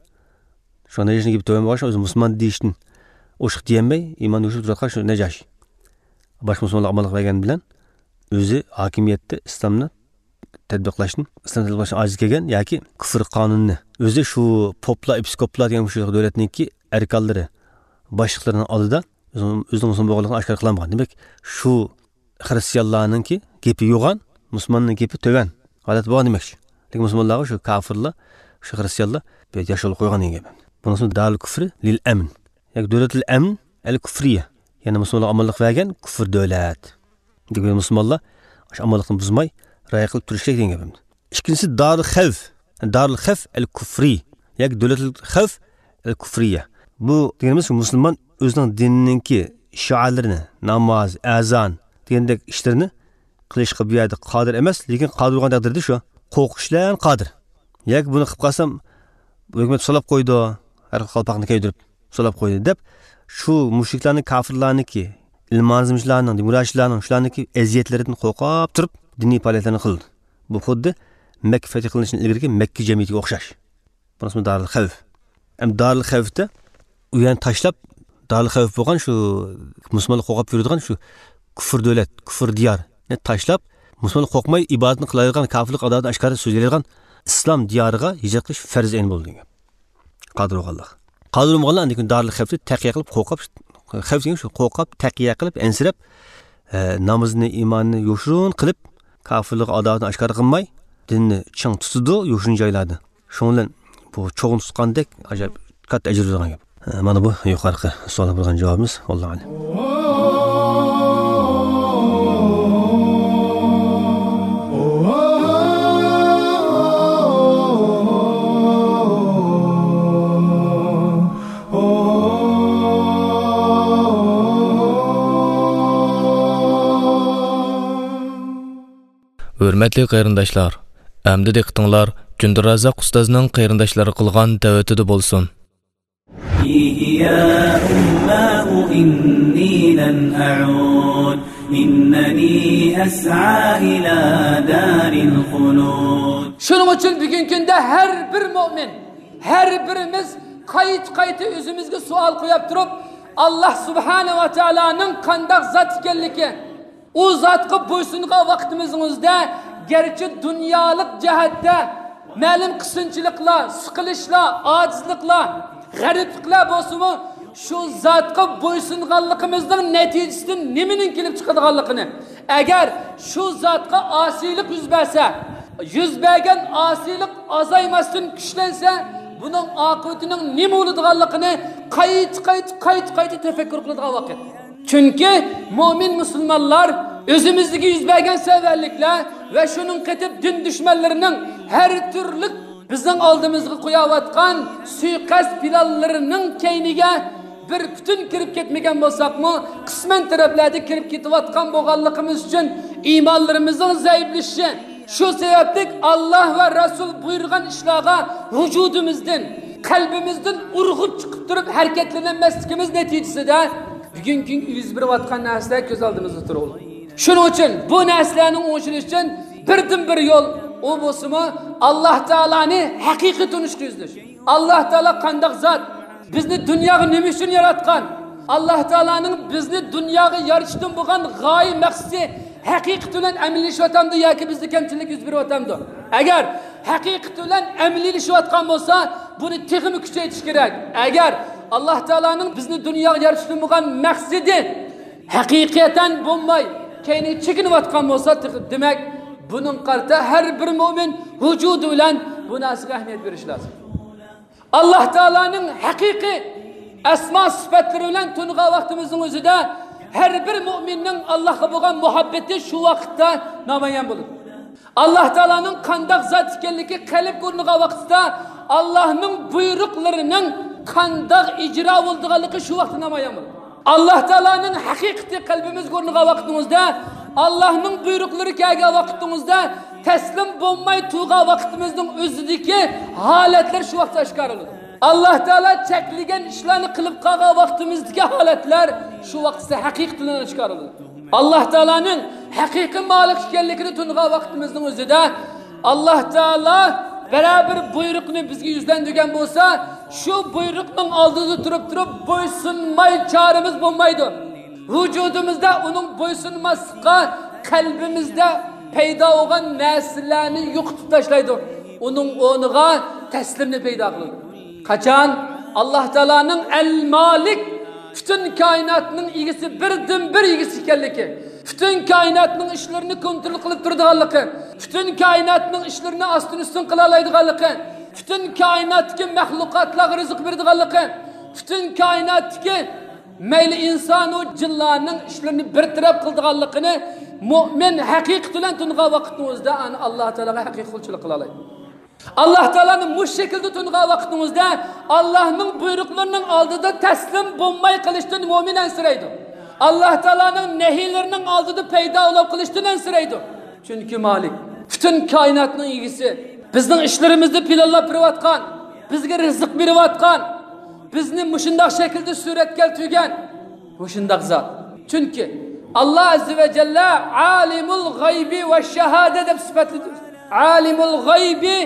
شۇ نەجاشىنىڭ گېپى تۆۋەن بولغاچقا، ئۆزى مۇسۇلمان دېيىشتىن ئوشۇق دېيەلمەي، ئىمان يوشۇرۇپ تۇرۇۋاتقان شۇ نەجاشى. باشقا مۇسۇلمانلارغا ئامانلىق بەرگەن بىلەن ئۆزى ھاكىمىيەتتە ئىسلامنى تەتبىقلاشتىن، ئىسلام تەتبىقلاشتىن ئاجىز كەلگەن ياكى كۇفر قانۇنىنى ئۆزى شۇ پوپلار، ئېپىسكوپلار دېگەن مۇشۇ دۆلەتنىڭكى ئەركانلىرى، باشلىقلىرىنىڭ ئالدىدا ئۆزىنىڭ، ئۆزىنىڭ مۇسۇلمان بولغانلىقىنى ئاشكارا قىلالمىغان. دېمەك، شۇ خىرىستىيانلارنىڭكى گېپى يوغان، مۇسۇلماننىڭ گېپى تۆۋەن ھالەت بولغان دېمەكچى. لېكىن مۇسۇلمانلارغا شۇ كاپىرلار، شۇ خىرىستىيانلار بىر ياش يول قويغان دېگەن گەپ. بۇنىڭ ئىسمى دارىل كۇفرى لىل ئەمن. ياكى دۆلەتۇل ئەمن ئەل كۇفرىيە. يەنى مۇسۇلمانلارغا ئامانلىق بەرگەن كۇفر دۆلەت. دېگەن مۇسۇلمانلار شۇ ئامانلىقنى بۇزماي، رىئايە قىلىپ تۇرۇشى كېرەك دېگەن گەپ. ئىككىنچىسى دارىل خەۋف. دارىل خەۋف ئەل كۇفرى. ياكى دۆلەتۇل خەۋف ئەل كۇفرىيە. بۇ دېگىنىمىز مۇسۇلمان ئۆزىنىڭ دىنىنىڭكى شىئارلىرىنى، ناماز، ئەزان دېگەندەك ئىشلىرىنى قىلىشقا بۇ يەردە قادىر ئەمەس، لېكىن قادىر بولغان تەقدىردە شۇ قورقۇش بىلەن قادىر. ياكى بۇنى قىلىپ قالسام، بۇ ھۆكۈمەت سولاپ قويىدۇ، ھەر خىل قالپاقنى كىيدۈرۈپ سولاپ قويىدۇ، دەپ شۇ مۇشرىكلارنىڭ، كاپىرلارنىڭكى، ئىلمانىزمچىلارنىڭ، دېموكراتچىلارنىڭ شۇلارنىڭكى ئەزىيەتلىرىدىن قورقۇپ تۇرۇپ دىنىي پائالىيەتلەرنى قىلىدۇ. بۇ خۇددى مەككە فەتھى قىلىنىشتىن ئىلگىرىكى مەككە جەمئىيىتىگە ئوخشاش. بۇنىڭ ئىسمى دارىل خەۋف. ئەمدى دارىل خەۋفتە ئۇ يەرنى تاشلاپ، دارىل خەۋپ بولغان شۇ مۇسۇلمانلار قورقۇپ يۈرىدىغان شۇ كۇفر دۆلەت، كۇفر دىيارنى تاشلاپ، مۇسۇلمانلار قورقماي ئىبادىتىنى قىلالايدىغان، كاپىرلىق ئاداۋىتىنى ئاشكارا سۆزلەيدىغان ئىسلام دىيارىغا ھىجرەت قىلىش پەرز ئەين بولىدۇ دېگەن. قادىر بولغانلار. قادىر بولمىغانلار ئاندىن كېيىن دارىل خەۋپتە تەقىيە قىلىپ، قورقۇپ، خەۋپ دېگەن شۇ، قورقۇپ، تەقىيە قىلىپ، ئەنسىرەپ، ئە، نامىزىنى، ئىمانىنى يوشۇرۇن قىلىپ، كاپىرلىق ئاداۋىتىنى ئاشكارا قىلماي، دىننى چىڭ تۇتىدۇ يوشۇرۇن جايلاردا. شۇنىڭ بىلەن بۇ چوغنى تۇتقاندەك ئاجايىپ كاتتا ئەجىر بېرىدىغان گەپ. ئە، مانا بۇ يۇقىرىقى سوئالغا بەرگەن جاۋابىمىز. ۋاللاھۇ ئەلەم. ھۆرمەتلىك قېرىنداشلار، ئەمدى دىققىتىڭلار جۈندىرازاق ئۇستازنىڭ قېرىنداشلارغا قىلغان دەۋىتىدە بولسۇن. فيه يا أماه إني لن أعود، إنني أسعى إلى دار الخلود. شۇنىڭ ئۈچۈن بۈگۈنكى كۈندە ھەر بىر مۆمىن، ھەر بىرىمىز قايتا-قايتا ئۆزىمىزگە سوئال قويۇپ تۇرۇپ، ئاللاھ سۇبھانەھۇ ۋە تائالانىڭ قانداق زات ئىكەنلىكى، ئۇ زاتقا بويسۇنغان ۋاقتىمىزنىڭ ئۆزىدە، گەرچە دۇنيالىق جەھەتتە مەلۇم قىسىنچىلىقلار، سىقىلىشلار، ئاجىزلىقلار، غەرىبلىكلەر بولسىمۇ، شۇ زاتقا بويسۇنغانلىقىمىزنىڭ نەتىجىسىدىن نېمىنىڭ كېلىپ چىقىدىغانلىقىنى، ئەگەر شۇ زاتقا ئاسىيلىق يۈز بەرسە، يۈز بەرگەن ئاسىيلىق ئازايماستىن كۈچلەنسە، بۇنىڭ ئاقىۋىتىنىڭ نېمە بولىدىغانلىقىنى قايتا، قايتا، قايتا، قايتا تەپەككۇر قىلىدىغان ۋاقىت. چۈنكى مۆمىن مۇسۇلمانلار ئۆزىمىزدىكى يۈز بەرگەن سەۋەنلىكلەر ۋە شۇنىڭ قېتىپ دىن دۈشمەنلىرىنىڭ ھەر تۈرلۈك بىزنىڭ ئالدىمىزغا قويۇۋاتقان سۇيىقەست پىلانلىرىنىڭ كەينىگە بىر پۈتۈن كىرىپ كەتمىگەن بولساقمۇ، قىسمەن تەرەپلەردە كىرىپ كېتىۋاتقان بولغانلىقىمىز ئۈچۈن ئىمانلىرىمىزنىڭ زەئىپلىشىشى، شۇ سەۋەبلىك ئاللاھ ۋە رەسۇل بۇيرۇغان ئىشلارغا ۋۇجۇدىمىزدىن، قەلبىمىزدىن ئۇرغۇپ چىقىپ تۇرۇپ ھەرىكەتلىنەلمەسلىكىمىز نەتىجىسىدە بۈگۈنكى كۈنگە يۈز بېرىۋاتقان نەرسىلەر كۆز ئالدىمىزدا تۇرۇۋاتىدۇ. شۇنىڭ ئۈچۈن بۇ نەرسىلەرنى ئوڭشىلىش ئۈچۈن بىردىنبىر يول، ئۇ بولسىمۇ ئاللاھ تائالانى ھەقىقىي تونۇشقا يۈزلىنىش. ئاللاھ تائالا قانداق زات؟ بىزنى دۇنياغا نېمە ئۈچۈن ياراتقان؟ ئاللاھ تائالانىڭ بىزنى دۇنياغا يارىتىشتىن بولغان غايە مەقسىتى ھەقىقىتى بىلەن ئەمەلىيلىشىۋاتامدۇ ياكى بىزدە كەمچىلىك يۈز بېرىۋاتامدۇ؟ ئەگەر ھەقىقىتى بىلەن ئەمەلىيلىشىۋاتقان بولسا، بۇنى تېخىمۇ كۈچەيتىش كېرەك. ئەگەر ئاللاھ تائالانىڭ بىزنى دۇنياغا يارىتىشتىن بولغان مەقسىتى ھەقىقەتەن بولماي، كەينىگە چېكىنىۋاتقان بولسا، تېخى، دېمەك، بۇنىڭغا قارىتا ھەر بىر مۆمىن ۋۇجۇدى بىلەن بۇ نەرسىگە ئەھمىيەت بېرىشى لازىم. ئاللاھ تائالانىڭ ھەقىقىي ئەسما سۈپەتلىرى بىلەن تونۇغان ۋاقتىمىزنىڭ ئۆزىدە، ھەر بىر مۆمىننىڭ ئاللاھقا بولغان مۇھەببىتى شۇ ۋاقىتتا نامايان بولىدۇ. ئاللاھ تائالانىڭ قانداق زات ئىكەنلىكى قەلبكە ئورنىغان ۋاقىتتا، ئاللاھنىڭ بۇيرۇقلىرىنىڭ قانداق ئىجرا بولىدىغانلىقى شۇ ۋاقىتتا نامايان بولىدۇ. ئاللاھ تائالانىڭ ھەقىقىتى قەلبىمىزگە ئورنىغان ۋاقتىمىزدا، ئاللاھنىڭ بۇيرۇقلىرى كەلگەن ۋاقتىمىزدا تەسلىم بولماي تۇرغان ۋاقتىمىزنىڭ ئۆزىدىكى ھالەتلەر شۇ ۋاقىتتا ئاشكارىلىنىدۇ. ئاللاھ تائالا چەكلىگەن ئىشلارنى قىلىپ قالغان ۋاقتىمىزدىكى ھالەتلەر شۇ ۋاقىتتا ھەقىقىي تىلىنى ئاشكارىلىدى. ئاللاھ تائالانىڭ ھەقىقىي مالىك ئىكەنلىكىنى تونۇغان ۋاقتىمىزنىڭ ئۆزىدە، ئاللاھ تائالا بىرەر بىر بۇيرۇقنى بىزگە يۈزلەندۈرگەن بولسا، شۇ بۇيرۇقنىڭ ئالدىدا تۇرۇپ تۇرۇپ بويسۇنماي چارىمىز بولمايدۇ. ۋۇجۇدىمىزدا ئۇنىڭ بويسۇنماسلىققا قەلبىمىزدە پەيدا بولغان نەرسىلەرنى يوقىتىپ تاشلايدۇ. ئۇنىڭ ئورنىغا تەسلىمنى پەيدا قىلىدۇ. قاچان ئاللاھ تائالانىڭ ئەل مالىك، پۈتۈن كائىناتنىڭ ئىگىسى، بىردىنبىر ئىگىسى ئىكەنلىكى، پۈتۈن كائىناتنىڭ ئىشلىرىنى كونترول قىلىپ تۇرىدىغانلىقى، پۈتۈن كائىناتنىڭ ئىشلىرىنى ئاستىن ئۈستۈن قىلالايدىغانلىقى، پۈتۈن كائىناتتىكى مەخلۇقاتلارغا رىزىق بېرىدىغانلىقى، پۈتۈن كائىناتتىكى مەيلى ئىنسانۇ جىنلارنىڭ ئىشلىرىنى بىر تەرەپ قىلىدىغانلىقىنى مۆمىن ھەقىقىتى بىلەن تونۇغان ۋاقىتنىڭ ئۆزىدە ئانا ئاللاھ تائالاغا ھەقىقىي قۇلچىلىق قىلالايدۇ. ئاللاھ تائالانى مۇشۇ شەكىلدە تونۇغان ۋاقتىڭىزدا، ئاللاھنىڭ بۇيرۇقلىرىنىڭ ئالدىدا تەسلىم بولماي قېلىشتىن مۆمىن ئەنسىرەيدۇ. ئاللاھ تائالانىڭ نەھىيلىرىنىڭ ئالدىدا پەيدا بولۇپ قېلىشتىن ئەنسىرەيدۇ. چۈنكى مالىك، پۈتۈن كائىناتنىڭ ئىگىسى، بىزنىڭ ئىشلىرىمىزنى پىلانلاپ بېرىۋاتقان، بىزگە رىزىق بېرىۋاتقان، بىزنى مۇشۇنداق شەكىلدە سۈرەتكە كەلتۈرگەن، مۇشۇنداق زات. چۈنكى ئاللاھ ئەززە ۋە جەللە ئالىمۇل غەيبى ۋە شاھادە دەپ سۈپەتلىدى. ئالىمۇل غەيبى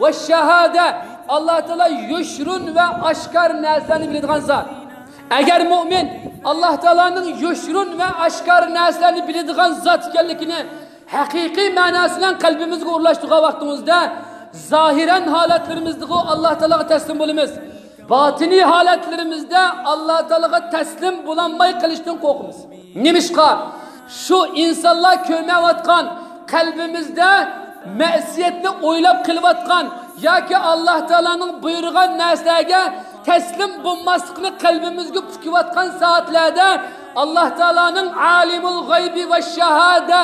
ۋە شاھادە. ئاللاھ تائالا يوشۇرۇن ۋە ئاشكارا نەرسىلەرنى بىلىدىغان زات. ئەگەر مۆمىن ئاللا تائالانىڭ يوشۇرۇن ۋە ئاشكارا نەرسىلەرنى بىلىدىغان زات ئىكەنلىكىنى ھەقىقىي مەناسى بىلەن قەلبىمىزگە ئورۇنلاشتۇرغان ۋاقتىمىزدا، زاھىرەن ھالەتلىرىمىزدىغۇ ئاللا تائالاغا تەسلىم بولىمىز. باتىنىي ھالەتلىرىمىزدە ئاللا تائالاغا تەسلىم بولالماي قېلىشتىن قورقىمىز. نېمىشقا؟ شۇ ئىنسانلار كۆرمەيۋاتقان، قەلبىمىزدە مەسىيەتنى ئويلاپ قېلىۋاتقان ياكى ئاللا تائالانىڭ بۇيرۇغان نەرسىلەرگە تەسلىم بولماسلىقنى قەلبىمىزگە پۈكۈۋاتقان سائەتلەردە، ئاللا تائالانىڭ ئالىمۇل غەيبى ۋە شاھادە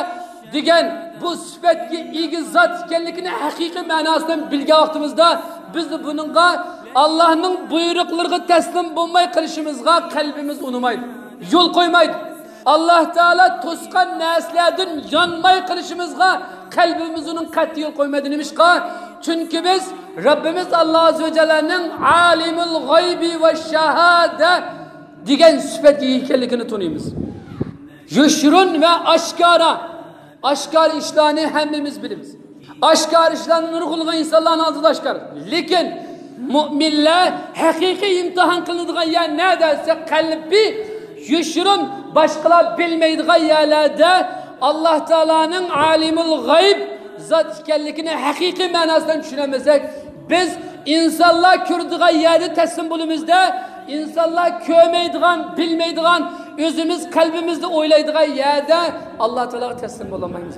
دېگەن بۇ سۈپەتكە ئىگە زات ئىكەنلىكىنى ھەقىقىي مەناسىدىن بىلگەن ۋاقتىمىزدا، بىز بۇنىڭغا، ئاللانىڭ بۇيرۇقلىرىغا تەسلىم بولماي قېلىشىمىزغا قەلبىمىز ئۇنىمايدۇ، يول قويمايدۇ. ئاللا تائالا توسقان نەرسىلەردىن يانماي قېلىشىمىزغا قەلبىمىز ئۇنىڭ قەتئىي يول قويمايدۇ. نېمىشقا؟ چۈنكى بىز رەببىمىز ئاللا ئەززە ۋە جەللەنىڭ ئالىمۇل غەيبى ۋە شاھادە دېگەن سۈپەتكە ئىگە ئىكەنلىكىنى تونۇيمىز. يوشۇرۇن ۋە ئاشكارا. ئاشكارا ئىشلارنى ھەممىمىز بىلىمىز. ئاشكارا ئىشلارنى نۇرغۇنلىغان ئىنسانلارنىڭ ئالدىدا ئاشكارا. لېكىن مۆمىنلەر ھەقىقىي ئىمتىھان قىلىنىدىغان يەر نەدە دېسە، قەلبى يوشۇرۇن، باشقىلار بىلمەيدىغان يەرلەردە ئاللا تائالانىڭ ئالىمۇل غەيب زات ئىكەنلىكىنى ھەقىقىي مەناسىدىن چۈشىنەلمىسەك، بىز ئىنسانلار كۆرىدىغان يەردە تەسلىم بولىمىزدا، ئىنسانلار كۆرمەيدىغان، بىلمەيدىغان، ئۆزىمىز قەلبىمىزدە ئويلايدىغان يەردە ئاللا تائالاغا تەسلىم بولالمايمىز.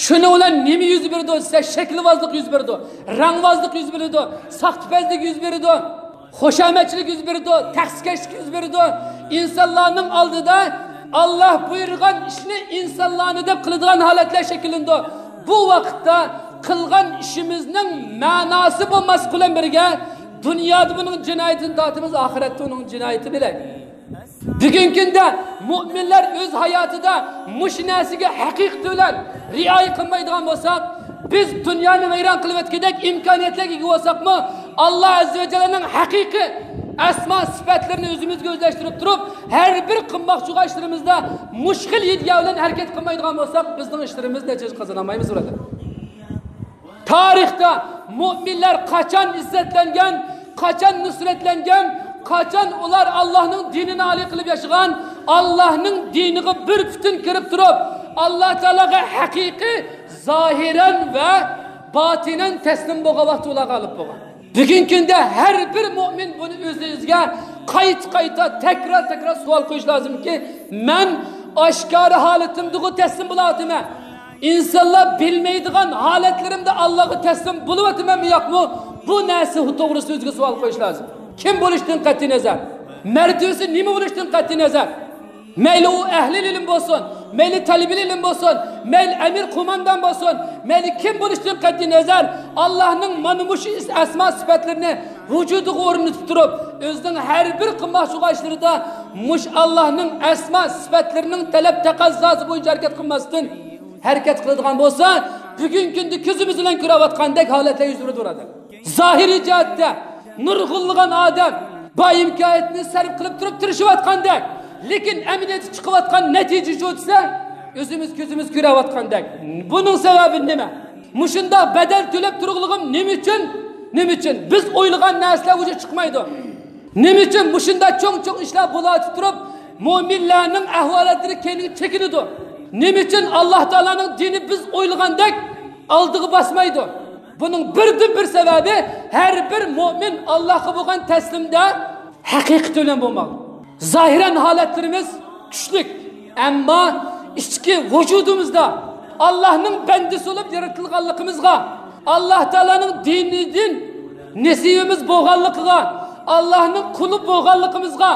شۇنىڭ بىلەن نېمە يۈز بېرىدۇ دېسە، شەكىلۋازلىق يۈز بېرىدۇ، رەڭۋازلىق يۈز بېرىدۇ، ساختىپەزلىك يۈز بېرىدۇ، خۇشامەتچىلىك يۈز بېرىدۇ، تەخسىكەشلىك يۈز بېرىدۇ. ئىنسانلارنىڭ ئالدىدا ئاللا بۇيرۇغان ئىشنى ئىنسانلارنى دەپ قىلىدىغان ھالەتلەر شەكىللىنىدۇ. بۇ ۋاقىتتا قىلغان ئىشىمىزنىڭ مەناسى بولماسلىق بىلەن بىرگە، دۇنيادا بۇنىڭ جىنايىتىنى تارتىمىز، ئاخىرەتتە ئۇنىڭ جىنايىتى بىلەن. بۈگۈنكى كۈندە مۆمىنلەر ئۆز ھاياتىدا مۇشۇ نەرسىگە ھەقىقىتى بىلەن رىئايە قىلمايدىغان بولساق، بىز دۇنيانى ۋەيران قىلىۋەتكۈدەك ئىمكانىيەتلەرگە ئىگە بولساقمۇ، ئاللا ئەززە ۋە جەللەنىڭ ھەقىقىي ئەسما سۈپەتلىرىنى ئۆزىمىزگە ئۆزلەشتۈرۈپ تۇرۇپ، ھەر بىر قىلماقچى بولغان ئىشلىرىمىزدا مۇشۇ خىل ئىدىيە بىلەن ھەرىكەت قىلمايدىغان بولساق، بىزنىڭ ئىشلىرىمىز نەتىجە قازانالمايمىز، بۇرادەر. تارىختا مۆمىنلەر قاچان ئىززەتلەنگەن، قاچان نۇسرەتلەنگەن، قاچان ئۇلار ئاللانىڭ دىنىنى ئالىي قىلىپ ياشىغان، ئاللانىڭ دىنىغا بىر پۈتۈن كىرىپ تۇرۇپ، ئاللا تائالاغا ھەقىقىي زاھىرەن ۋە باتىنەن تەسلىم بولغان ۋاقتى ئۇلارغا غالىب بولغان. بۈگۈنكى كۈندە ھەر بىر مۆمىن بۇنى ئۆز-ئۆزىگە قايتا-قايتا، تەكرار-تەكرار سوئال قويۇش لازىمكى، مەن ئاشكارا ھالىتىمدىغۇ تەسلىم بولۇۋاتىمەن؟ ئىنسانلار بىلمەيدىغان ھالەتلىرىمدە ئاللاغا تەسلىم بولۇۋاتىمەنمۇ ياقمۇ؟ بۇ نەرسە توغرىسىدا ئۆزىگە سوئال قويۇش لازىم. كىم بولۇشتىن قەتئىينەزەر، مەرتىۋىسى نېمە بولۇشتىن قەتئىينەزەر، مەيلى ئۇ ئەھلى ئىلىم بولسۇن، مەيلى تەلىبىل ئىلىم بولسۇن، مەيلى ئەمىر قوماندان بولسۇن، مەيلى كىم بولۇشتىن قەتئىينەزەر، ئاللاھنىڭ مانا مۇشۇ ئەسما سۈپەتلىرىنى ۋۇجۇدىغا ئورنىتىپ تۇرۇپ، ئۆزىنىڭ ھەر بىر قىلماقچى بولغان ئىشلىرىدا مۇشۇ ئاللاھنىڭ ئەسما سۈپەتلىرىنىڭ تەلەپ تەقەززاسى بويىچە ھەرىكەت قىلماستىن، ھەرىكەت قىلىدىغان بولسا، بۈگۈنكى كۈندە كۆزىمىز بىلەن كۆرۈۋاتقاندەك ھالەتلەر يۈز بېرىدۇ، بۇرادەر. زاھىرىي جەھەتتە نۇرغۇنلىغان ئادەم بار ئىمكانىيەتنى سەرپ قىلىپ تۇرۇپ تىرىشىۋاتقاندەك، لېكىن ئەمەلىيەتتە چىقىۋاتقان نەتىجە شۇ دېسە، ئۆزىمىز كۆزىمىز كۆرۈۋاتقاندەك. بۇنىڭ سەۋەبى نېمە؟ مۇشۇنداق بەدەل تۆلەپ تۇرغىنىم نېمە ئۈچۈن؟ نېمە ئۈچۈن؟ بىز ئويلىغان نەرسىلەر ۋۇجۇدقا چىقمايدۇ. نېمە ئۈچۈن مۇشۇنداق چوڭ-چوڭ ئىشلار بولۇۋاتىپ تۇرۇپ، مۆمىنلەرنىڭ ئەھۋالاتلىرى كەينىگە چېكىنىدۇ؟ نېمە ئۈچۈن ئاللاھ تائالانىڭ دىنى بىز ئويلىغاندەك ئالدىغا باسمايدۇ؟ بۇنىڭ بىردىنبىر سەۋەبى، ھەر بىر مۆمىن ئاللاھقا بولغان تەسلىمدە ھەقىقىتى بىلەن بولماق. زاھىرەن ھالەتلىرىمىز چۈشلۈك، ئەمما ئىچكى ۋۇجۇدىمىزدا ئاللاھنىڭ بەندىسى بولۇپ يارىتىلغانلىقىمىزغا، ئاللاھ تائالانىڭ دىنىدىن نېسىۋىمىز بولغانلىقىغا، ئاللاھنىڭ قۇلى بولغانلىقىمىزغا،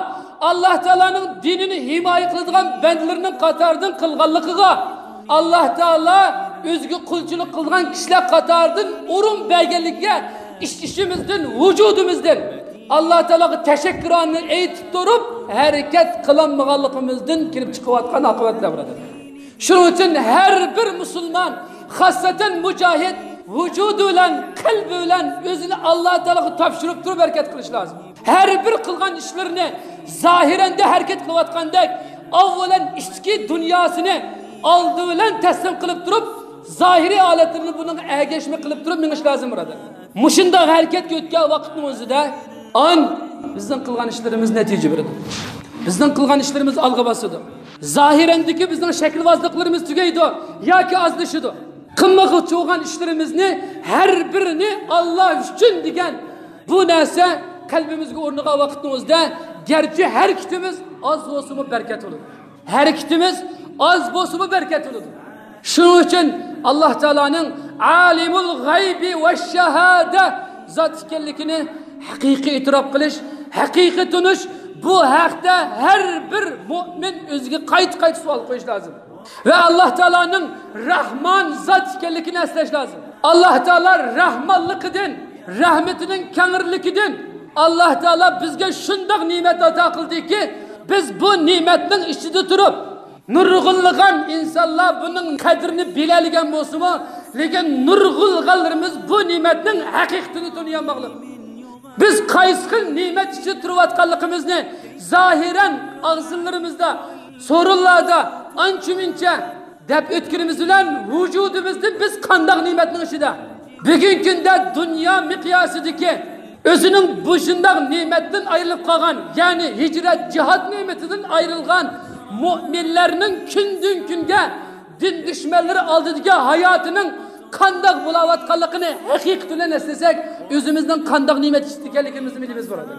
ئاللاھ تائالانىڭ دىنىنى ھىمايە قىلىدىغان بەندىلىرىنىڭ قاتارىدىن قىلغانلىقىغا، ئاللاھ تائالا ئۆزىگە قۇلچىلىق قىلىدىغان كىشىلەر قاتارىدىن ئورۇن بەرگەنلىكىگە ئىچ-ئىچىمىزدىن، ۋۇجۇدىمىزدىن ئاللاھ تائالاغا تەشەككۈرانە ئېيتىپ تۇرۇپ، ھەرىكەت قىلالمىغانلىقىمىزدىن كېلىپ چىقىۋاتقان ئاقىۋەتلەر، بۇرادەر. شۇنىڭ ئۈچۈن ھەر بىر مۇسۇلمان، خاسسەتەن مۇجاھىد، ۋۇجۇدى بىلەن، قەلبى بىلەن ئۆزىنى ئاللاھ تائالاغا تاپشۇرۇپ تۇرۇپ ھەرىكەت قىلىش لازىم. ھەر بىر قىلغان ئىشلىرىنى زاھىرەندە ھەرىكەت قىلىۋاتقاندەك، ئاۋۋالەن ئىچكى دۇنياسىنى ئالدى بىلەن تەسلىم قىلىپ تۇرۇپ، زاھىرىي ھالەتلىرىنى بۇنىڭغا ئەگەشمە قىلىپ تۇرۇپ مېڭىش لازىم، بۇرادەر. مۇشۇنداق ھەرىكەتكە ئۆتكەن ۋاقىتنىڭ ئۆزىدە ئان بىزنىڭ قىلغان ئىشلىرىمىز نەتىجە بېرىدۇ. بىزنىڭ قىلغان ئىشلىرىمىز ئالغا باسىدۇ. زاھىرەندىكى بىزنىڭ شەكىلۋازلىقلىرىمىز تۈگەيدۇ ياكى ئازلىشىدۇ. قىلماقچى بولغان ئىشلىرىمىزنى ھەر بىرىنى ئاللا ئۈچۈن دېگەن بۇ نەرسە قەلبىمىزگە ئورنىغان ۋاقىتنىڭ ئۆزىدە، گەرچە ھەرىكىتىمىز ئاز بولسىمۇ بەرىكەت بولىدۇ. ھەرىكىتىمىز ئاز بولسىمۇ بەرىكەت بولىدۇ. شۇنىڭ ئۈچۈن ئاللا تائالانىڭ ئالىمۇل غەيبى ۋە شاھادە زات ئىكەنلىكىنى ھەقىقىي ئېتىراپ قىلىش، ھەقىقىي تونۇش، بۇ ھەقتە ھەر بىر مۆمىن ئۆزىگە قايتا-قايتا سوئال قويۇش لازىم. ۋە ئاللا تائالانىڭ رەھمان زات ئىكەنلىكىنى ئەسلەش لازىم. ئاللا تائالا رەھمانلىقىدىن، رەھمىتىنىڭ كەڭرىلىكىدىن، ئاللا تائالا بىزگە شۇنداق نېمەت ئاتا قىلدىكى، بىز بۇ نېمەتنىڭ ئىچىدە تۇرۇپ، نۇرغۇنلىغان ئىنسانلار بۇنىڭ قەدرىنى بىلەلىگەن بولسىمۇ، لېكىن نۇرغۇنلىغانلىرىمىز بۇ نېمەتنىڭ ھەقىقىتىنى تونۇيالماغلىق. بىز قايسى خىل نېمەت ئىچىدە تۇرۇۋاتقانلىقىمىزنى زاھىرەن ئاغزىلىرىمىزدا، سورۇنلاردا ئانچە-مۇنچە دەپ ئۆتكىنىمىز بىلەن، ۋۇجۇدىمىزدا بىز قانداق نېمەتنىڭ ئىچىدە؟ بۈگۈنكى كۈندە دۇنيا مىقياسىدىكى ئۆزىنىڭ بۇ شۇنداق نېمەتتىن ئايرىلىپ قالغان، يەنى ھىجرەت، جىھاد نېمىتىدىن ئايرىلغان مۆمىنلەرنىڭ كۈندىن-كۈنگە دىن دۈشمەنلىرى ئالدىدىكى ھاياتىنىڭ قانداق بولاۋاتقانلىقىنى ھەقىقىتى بىلەن ئەسلىسەك، ئۆزىمىزنىڭ قانداق نېمەت ئىچىدە ئىكەنلىكىمىزنى بىلىمىز بولىدۇ.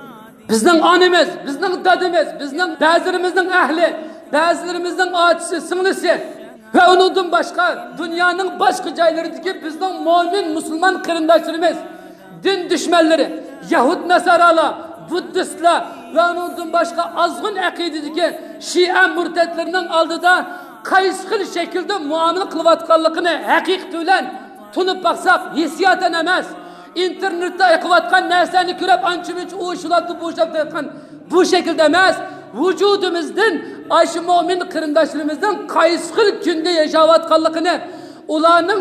بىزنىڭ ئانىمىز، بىزنىڭ دادىمىز، بىزنىڭ بەزىلىرىمىزنىڭ ئەھلى، بەزىلىرىمىزنىڭ ئاچىسى، سىڭلىسى ۋە ئۇنىڭدىن باشقا دۇنيانىڭ باشقا جايلىرىدىكى بىزنىڭ مۆمىن مۇسۇلمان قېرىنداشلىرىمىز، دىن دۈشمەنلىرى، يەھۇد ناسارالار، بۇددىستلار ۋە ئۇنىڭدىن باشقا ئازغۇن ئەقىدىدىكى شىئە مۇرتەتلىرىنىڭ ئالدىدا قايسى خىل شەكىلدە مۇئامىلە قىلىۋاتقانلىقىنى ھەقىقىتى بىلەن تونۇپ باقساق، ھېسسىياتەن ئەمەس، ئىنتېرنېتتا ئېقىۋاتقان نەرسىلەرنى كۆرۈپ، ئانچە-مۇنچە ئۇ شۇلاپتۇ، بۇ شۇلاپتۇ دەيدىغان بۇ شەكىلدە ئەمەس، ۋۇجۇدىمىزدىن ئاشۇ مۆمىن قېرىنداشلىرىمىزنىڭ قايسى خىل كۈندە ياشاۋاتقانلىقىنى، ئۇلارنىڭ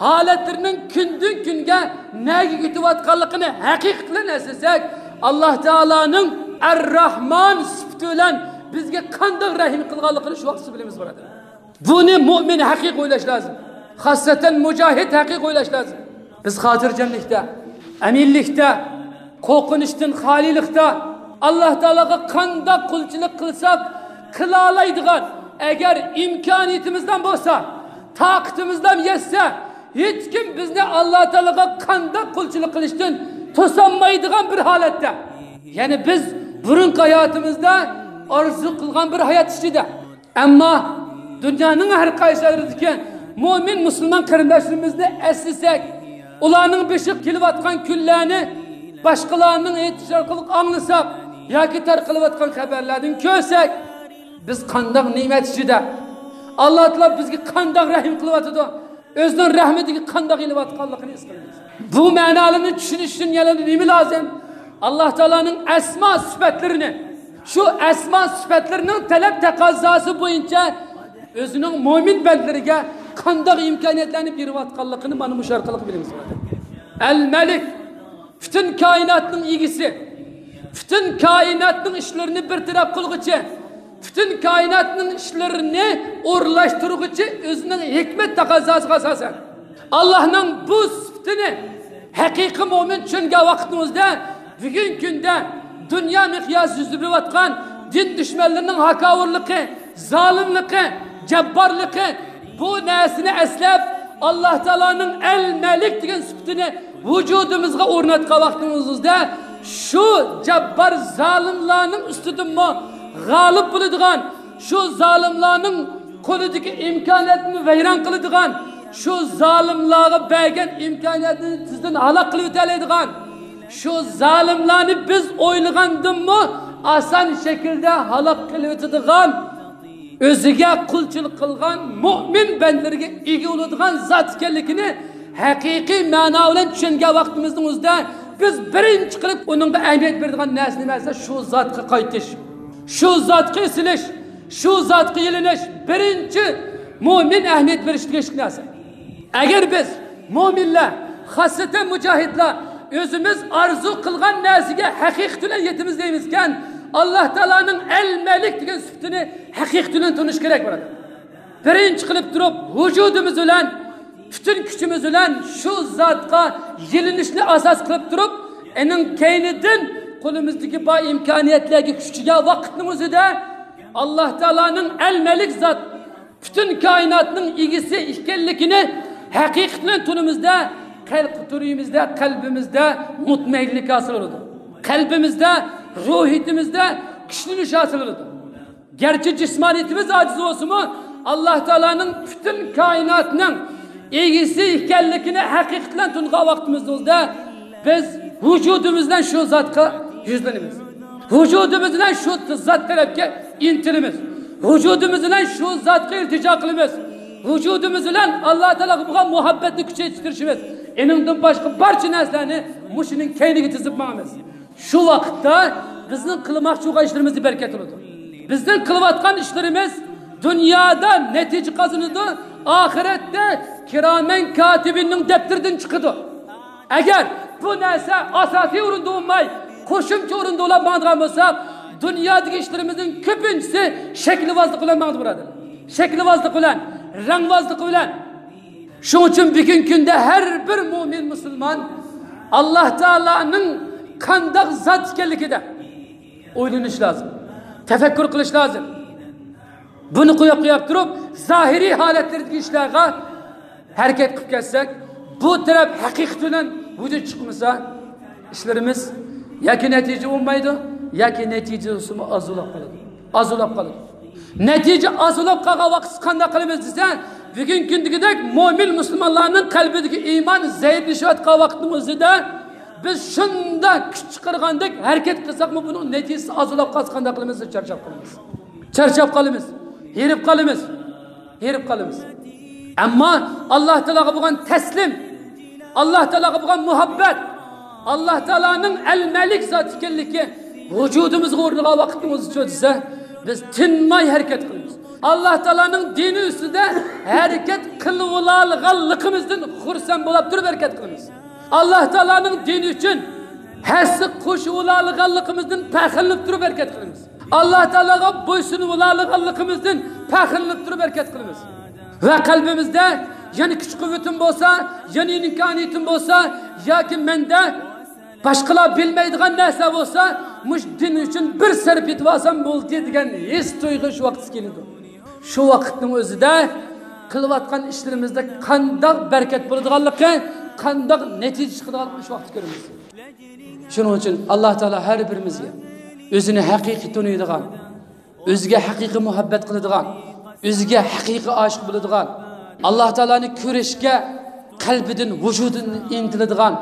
ھالەتلىرىنىڭ كۈندىن-كۈنگە نەگە كېتىۋاتقانلىقىنى ھەقىقىتى بىلەن ئەسلىسەك، ئاللا تائالانىڭ ئەر-راھمان سۈپىتى بىلەن بىزگە قانداق رەھىم قىلغانلىقىنى شۇ ۋاقىتتا بىلىمىز، بۇرادەر. بۇنى مۆمىن ھەقىقىي ئويلاش لازىم. خاسسەتەن مۇجاھىد ھەقىقىي ئويلاش لازىم. بىز خاتىرجەملىكتە، ئەمىنلىكتە، قورقۇنچتىن خالىيلىقتا، ئاللا تائالاغا قانداق قۇلچىلىق قىلساق قىلالايدىغان، ئەگەر ئىمكانىيىتىمىزدىن بولسا، تاقىتىمىزدىن يەتسە، ھېچكىم بىزنى ئاللا تائالاغا قانداق قۇلچىلىق قىلىشتىن توسالمايدىغان بىر ھالەتتە. يەنى بىز بۇرۇنقى ھاياتىمىزدا ئارزۇ قىلغان بىر ھايات ئىچىدە. ئەمما دۇنيانىڭ ھەر قايسى يەرلىرىدىكى مۆمىن مۇسۇلمان قېرىنداشلىرىمىزنى ئەسلىسەك، ئۇلارنىڭ بېشىغا كېلىۋاتقان كۈنلەرنى باشقىلارنىڭ ئېيتىشى ئارقىلىق ئاڭلىساق ياكى تارقىلىۋاتقان خەۋەرلەردىن كۆرسەك، بىز قانداق نېمەت ئىچىدە، ئاللا تائالا بىزگە قانداق رەھىم قىلىۋاتىدۇ، ئۆزىنىڭ رەھمىتىگە قانداق ئېلىۋاتقانلىقىنى ھېس قىلىمىز. بۇ مەنالارنى چۈشىنىش ئۈچۈن يەنە نېمە لازىم؟ ئاللا تائالانىڭ ئەسما سۈپەتلىرىنى، شۇ ئەسما سۈپەتلىرىنىڭ تەلەپ تەقەززاسى بويىچە ئۆزىنىڭ مۆمىن بەندىلىرىگە قانداق ئىمكانىيەتلەرنى بېرىۋاتقانلىقىنى مانا مۇشۇ ئارقىلىق بىلىمىز. ئەل مەلىك، پۈتۈن كائىناتنىڭ ئىگىسى، پۈتۈن كائىناتنىڭ ئىشلىرىنى بىر تەرەپ قىلغۇچى، پۈتۈن كائىناتنىڭ ئىشلىرىنى ئورۇنلاشتۇرغۇچى ئۆزىنىڭ ھېكمەت تەقەززاسىغا ئاساسەن، ئاللانىڭ بۇ سۈپىتىنى ھەقىقىي مۆمىن چۈشەنگەن ۋاقتىمىزدا، بۈگۈنكى كۈندە دۇنيا مىقياسى يۈز بېرىۋاتقان دىن دۈشمەنلىرىنىڭ ھاكاۋۇرلۇقى، زالىملىقى، جاببارلىقى، بۇ نەرسىنى ئەسلەپ، ئاللا تائالانىڭ ئەل مەلىك دېگەن سۈپىتىنى ۋۇجۇدىمىزغا ئورناتقان ۋاقتىمىزدا، شۇ جاببار زالىملارنىڭ ئۈستىدىنمۇ غالىب بولىدىغان، شۇ زالىملارنىڭ قولىدىكى ئىمكانىيەتنى ۋەيران قىلىدىغان، شۇ زالىملارغا بەرگەن ئىمكانىيەتنى تېزدىن ھالاك قىلىۋېتەلەيدىغان، شۇ زالىملارنى بىز ئويلىغاندىنمۇ ئاسان شەكىلدە ھالاك قىلىۋېتىدىغان، ئۆزىگە قۇلچىلىق قىلغان مۆمىن بەندىلىرىگە ئىگە بولىدىغان زات ئىكەنلىكىنى ھەقىقىي مەنا بىلەن چۈشەنگەن ۋاقتىمىزنىڭ ئۆزىدە، بىز بىرىنچى قىلىپ ئۇنىڭغا ئەھمىيەت بېرىدىغان نەرسە نېمە دېسە، شۇ زاتقا قايتىش، شۇ زاتقا ئېسىلىش، شۇ زاتقا يېلىنىش بىرىنچى مۆمىن ئەھمىيەت بېرىشكە تېگىشلىك نەرسە. ئەگەر بىز مۆمىنلەر، خاسسەتەن مۇجاھىدلار ئۆزىمىز ئارزۇ قىلغان نەرسىگە ھەقىقىي بىلەن يېتىمىز دەيمىزكەن، ئاللا تائالانىڭ ئەل مەلىك دېگەن سۈپىتىنى ھەقىقىي بىلەن تونۇش كېرەك، بۇرادەر. بىرىنچى قىلىپ تۇرۇپ، ۋۇجۇدىمىز بىلەن، پۈتۈن كۈچىمىز بىلەن شۇ زاتقا يېلىنىشنى ئاساس قىلىپ تۇرۇپ، ئېنىڭ كەينىدىن قولىمىزدىكى بار ئىمكانىيەتلەرگە كۈچىگەن ۋاقىتنىڭ ئۆزىدە ئاللا تائالانىڭ ئەلمەلىك زات، پۈتۈن كائىناتنىڭ ئىگىسى ئىكەنلىكىنى ھەقىقەتەن تونىمىزدا، قەلب تونىمىزدا، قەلبىمىزدە مۇتمەئىنلىك ھاسىل بولىدۇ. قەلبىمىزدە، روھىيىتىمىزدە كۈچلىنىش ھاسىل بولىدۇ. گەرچە جىسمانىيىتىمىز ئاجىز بولسىمۇ، ئاللا تائالانىڭ پۈتۈن كائىناتنىڭ ئىگىسى ئىكەنلىكىنى ھەقىقەتەن تونۇغان ۋاقتىمىزدا بىز ۋۇجۇدىمىز بىلەن شۇ زاتقا يۈزلىنىمىز. ۋۇجۇدىمىز بىلەن شۇ زات تەرەپكە ئىنتىلىمىز. ۋۇجۇدىمىز بىلەن شۇ زاتقا ئىلتىجا قىلىمىز. ۋۇجۇدىمىز بىلەن ئاللا تائالاغا بولغان مۇھەببەتنى كۈچەيتىش تىرىشىمىز. ئېنىڭدىن باشقا بارچە نەرسىلەرنى مۇشۇنىڭ كەينىگە تىزىپ ماڭىمىز. شۇ ۋاقىتتا بىزنىڭ قىلماقچى بولغان ئىشلىرىمىزدا بەرىكەت بولىدۇ. بىزنىڭ قىلىۋاتقان ئىشلىرىمىز دۇنيادا نەتىجە قازىنىدۇ، ئاخىرەتتە كىرامەن كاتىبىننىڭ دەپتىرىدىن چىقىدۇ. ئەگەر بۇ نەرسە ئاساسىي ئورۇندا بولماي، قوشۇمچە ئورۇندا بولۇپ ماڭىدىغان بولساق، دۇنيادىكى ئىشلىرىمىزنىڭ كۆپىنچىسى شەكىلۋازلىق بىلەن ماڭىدۇ، بۇرادەر. شەكىلۋازلىق بىلەن، رەڭۋازلىق بىلەن. شۇنىڭ ئۈچۈن بۈگۈنكى كۈندە ھەر بىر مۆمىن مۇسۇلمان ئاللا تائالانىڭ قانداق زات ئىكەنلىكىدە ئويلىنىش لازىم، تەپەككۇر قىلىش لازىم. بۇنى قويۇپ قويۇپ تۇرۇپ، زاھىرىي ھالەتلەردىكى ئىشلارغا ھەرىكەت قىلىپ كەتسەك، بۇ تەرەپ ھەقىقىتى بىلەن ۋۇجۇد چىقمىسا، ئىشلىرىمىز ياكى نەتىجە بولمايدۇ، ياكى نەتىجىسىمۇ ئاز بولۇپ قالىدۇ. ئاز بولۇپ قالىدۇ. نەتىجە ئاز بولۇپ قالغان ۋاقىتتا قانداق قىلىمىز دېسە، بۈگۈنكى كۈندىكىدەك مۆمىن مۇسۇلمانلارنىڭ قەلبىدىكى ئىمان زەئىپلىشىۋاتقان ۋاقىتنىڭ ئۆزىدە بىز شۇنداق كۈچ چىقارغاندەك ھەرىكەت قىلساقمۇ، بۇنىڭ نەتىجىسى ئاز بولۇپ قالسا قانداق قىلىمىز؟ چارچاپ قالىمىز. چارچاپ قالىمىز. ھېرىپ قالىمىز. ھېرىپ قالىمىز. ئەمما ئاللا تائالاغا بولغان تەسلىم، ئاللا تائالاغا بولغان مۇھەببەت، ئاللا تائالانىڭ ئەلمەلىك زات ئىكەنلىكى ۋۇجۇدىمىزغا ئورنىغان ۋاقىتنىڭ ئۆزىچۇ دېسە، بىز تىنماي ھەرىكەت قىلىمىز. ئاللا تائالانىڭ دىنى ئۈستىدە ھەرىكەت قىلىۋالالىغانلىقىمىزدىن خۇرسەن بولۇپ تۇرۇپ ھەرىكەت قىلىمىز. ئاللا تائالانىڭ دىنى ئۈچۈن ھەسسە قوشۇۋالالىغانلىقىمىزدىن پەخىرلىنىپ تۇرۇپ ھەرىكەت قىلىمىز. ئاللا تائالاغا بويسۇنۇۋالالىغانلىقىمىزدىن پەخىرلىنىپ تۇرۇپ ھەرىكەت قىلىمىز. ۋە قەلبىمىزدە يەنە كۈچ-قۇۋۋىتىم بولسا، يەنە ئىمكانىيىتىم بولسا، ياكى مەندە باشقىلار بىلمەيدىغان نەرسە بولسا، مۇشۇ دىن ئۈچۈن بىر سەرپ ئېتىۋالسام بولدى دېگەن ھېس تۇيغۇ شۇ ۋاقىت كېلىدۇ. شۇ ۋاقىتنىڭ ئۆزىدە قىلىۋاتقان ئىشلىرىمىزدا قانداق بەرىكەت بولىدىغانلىقى، قانداق نەتىجە چىقىدىغانلىقىنى شۇ ۋاقىتتا كۆرىمىز. شۇنىڭ ئۈچۈن ئاللا تائالا ھەر بىرىمىزگە ئۆزىنى ھەقىقىي تونۇيدىغان، ئۆزىگە ھەقىقىي مۇھەببەت قىلىدىغان، ئۆزىگە ھەقىقىي ئاشىق بولىدىغان، ئاللا تائالانى كۆرۈشكە قەلبىدىن، ۋۇجۇدىدىن ئىنتىلىدىغان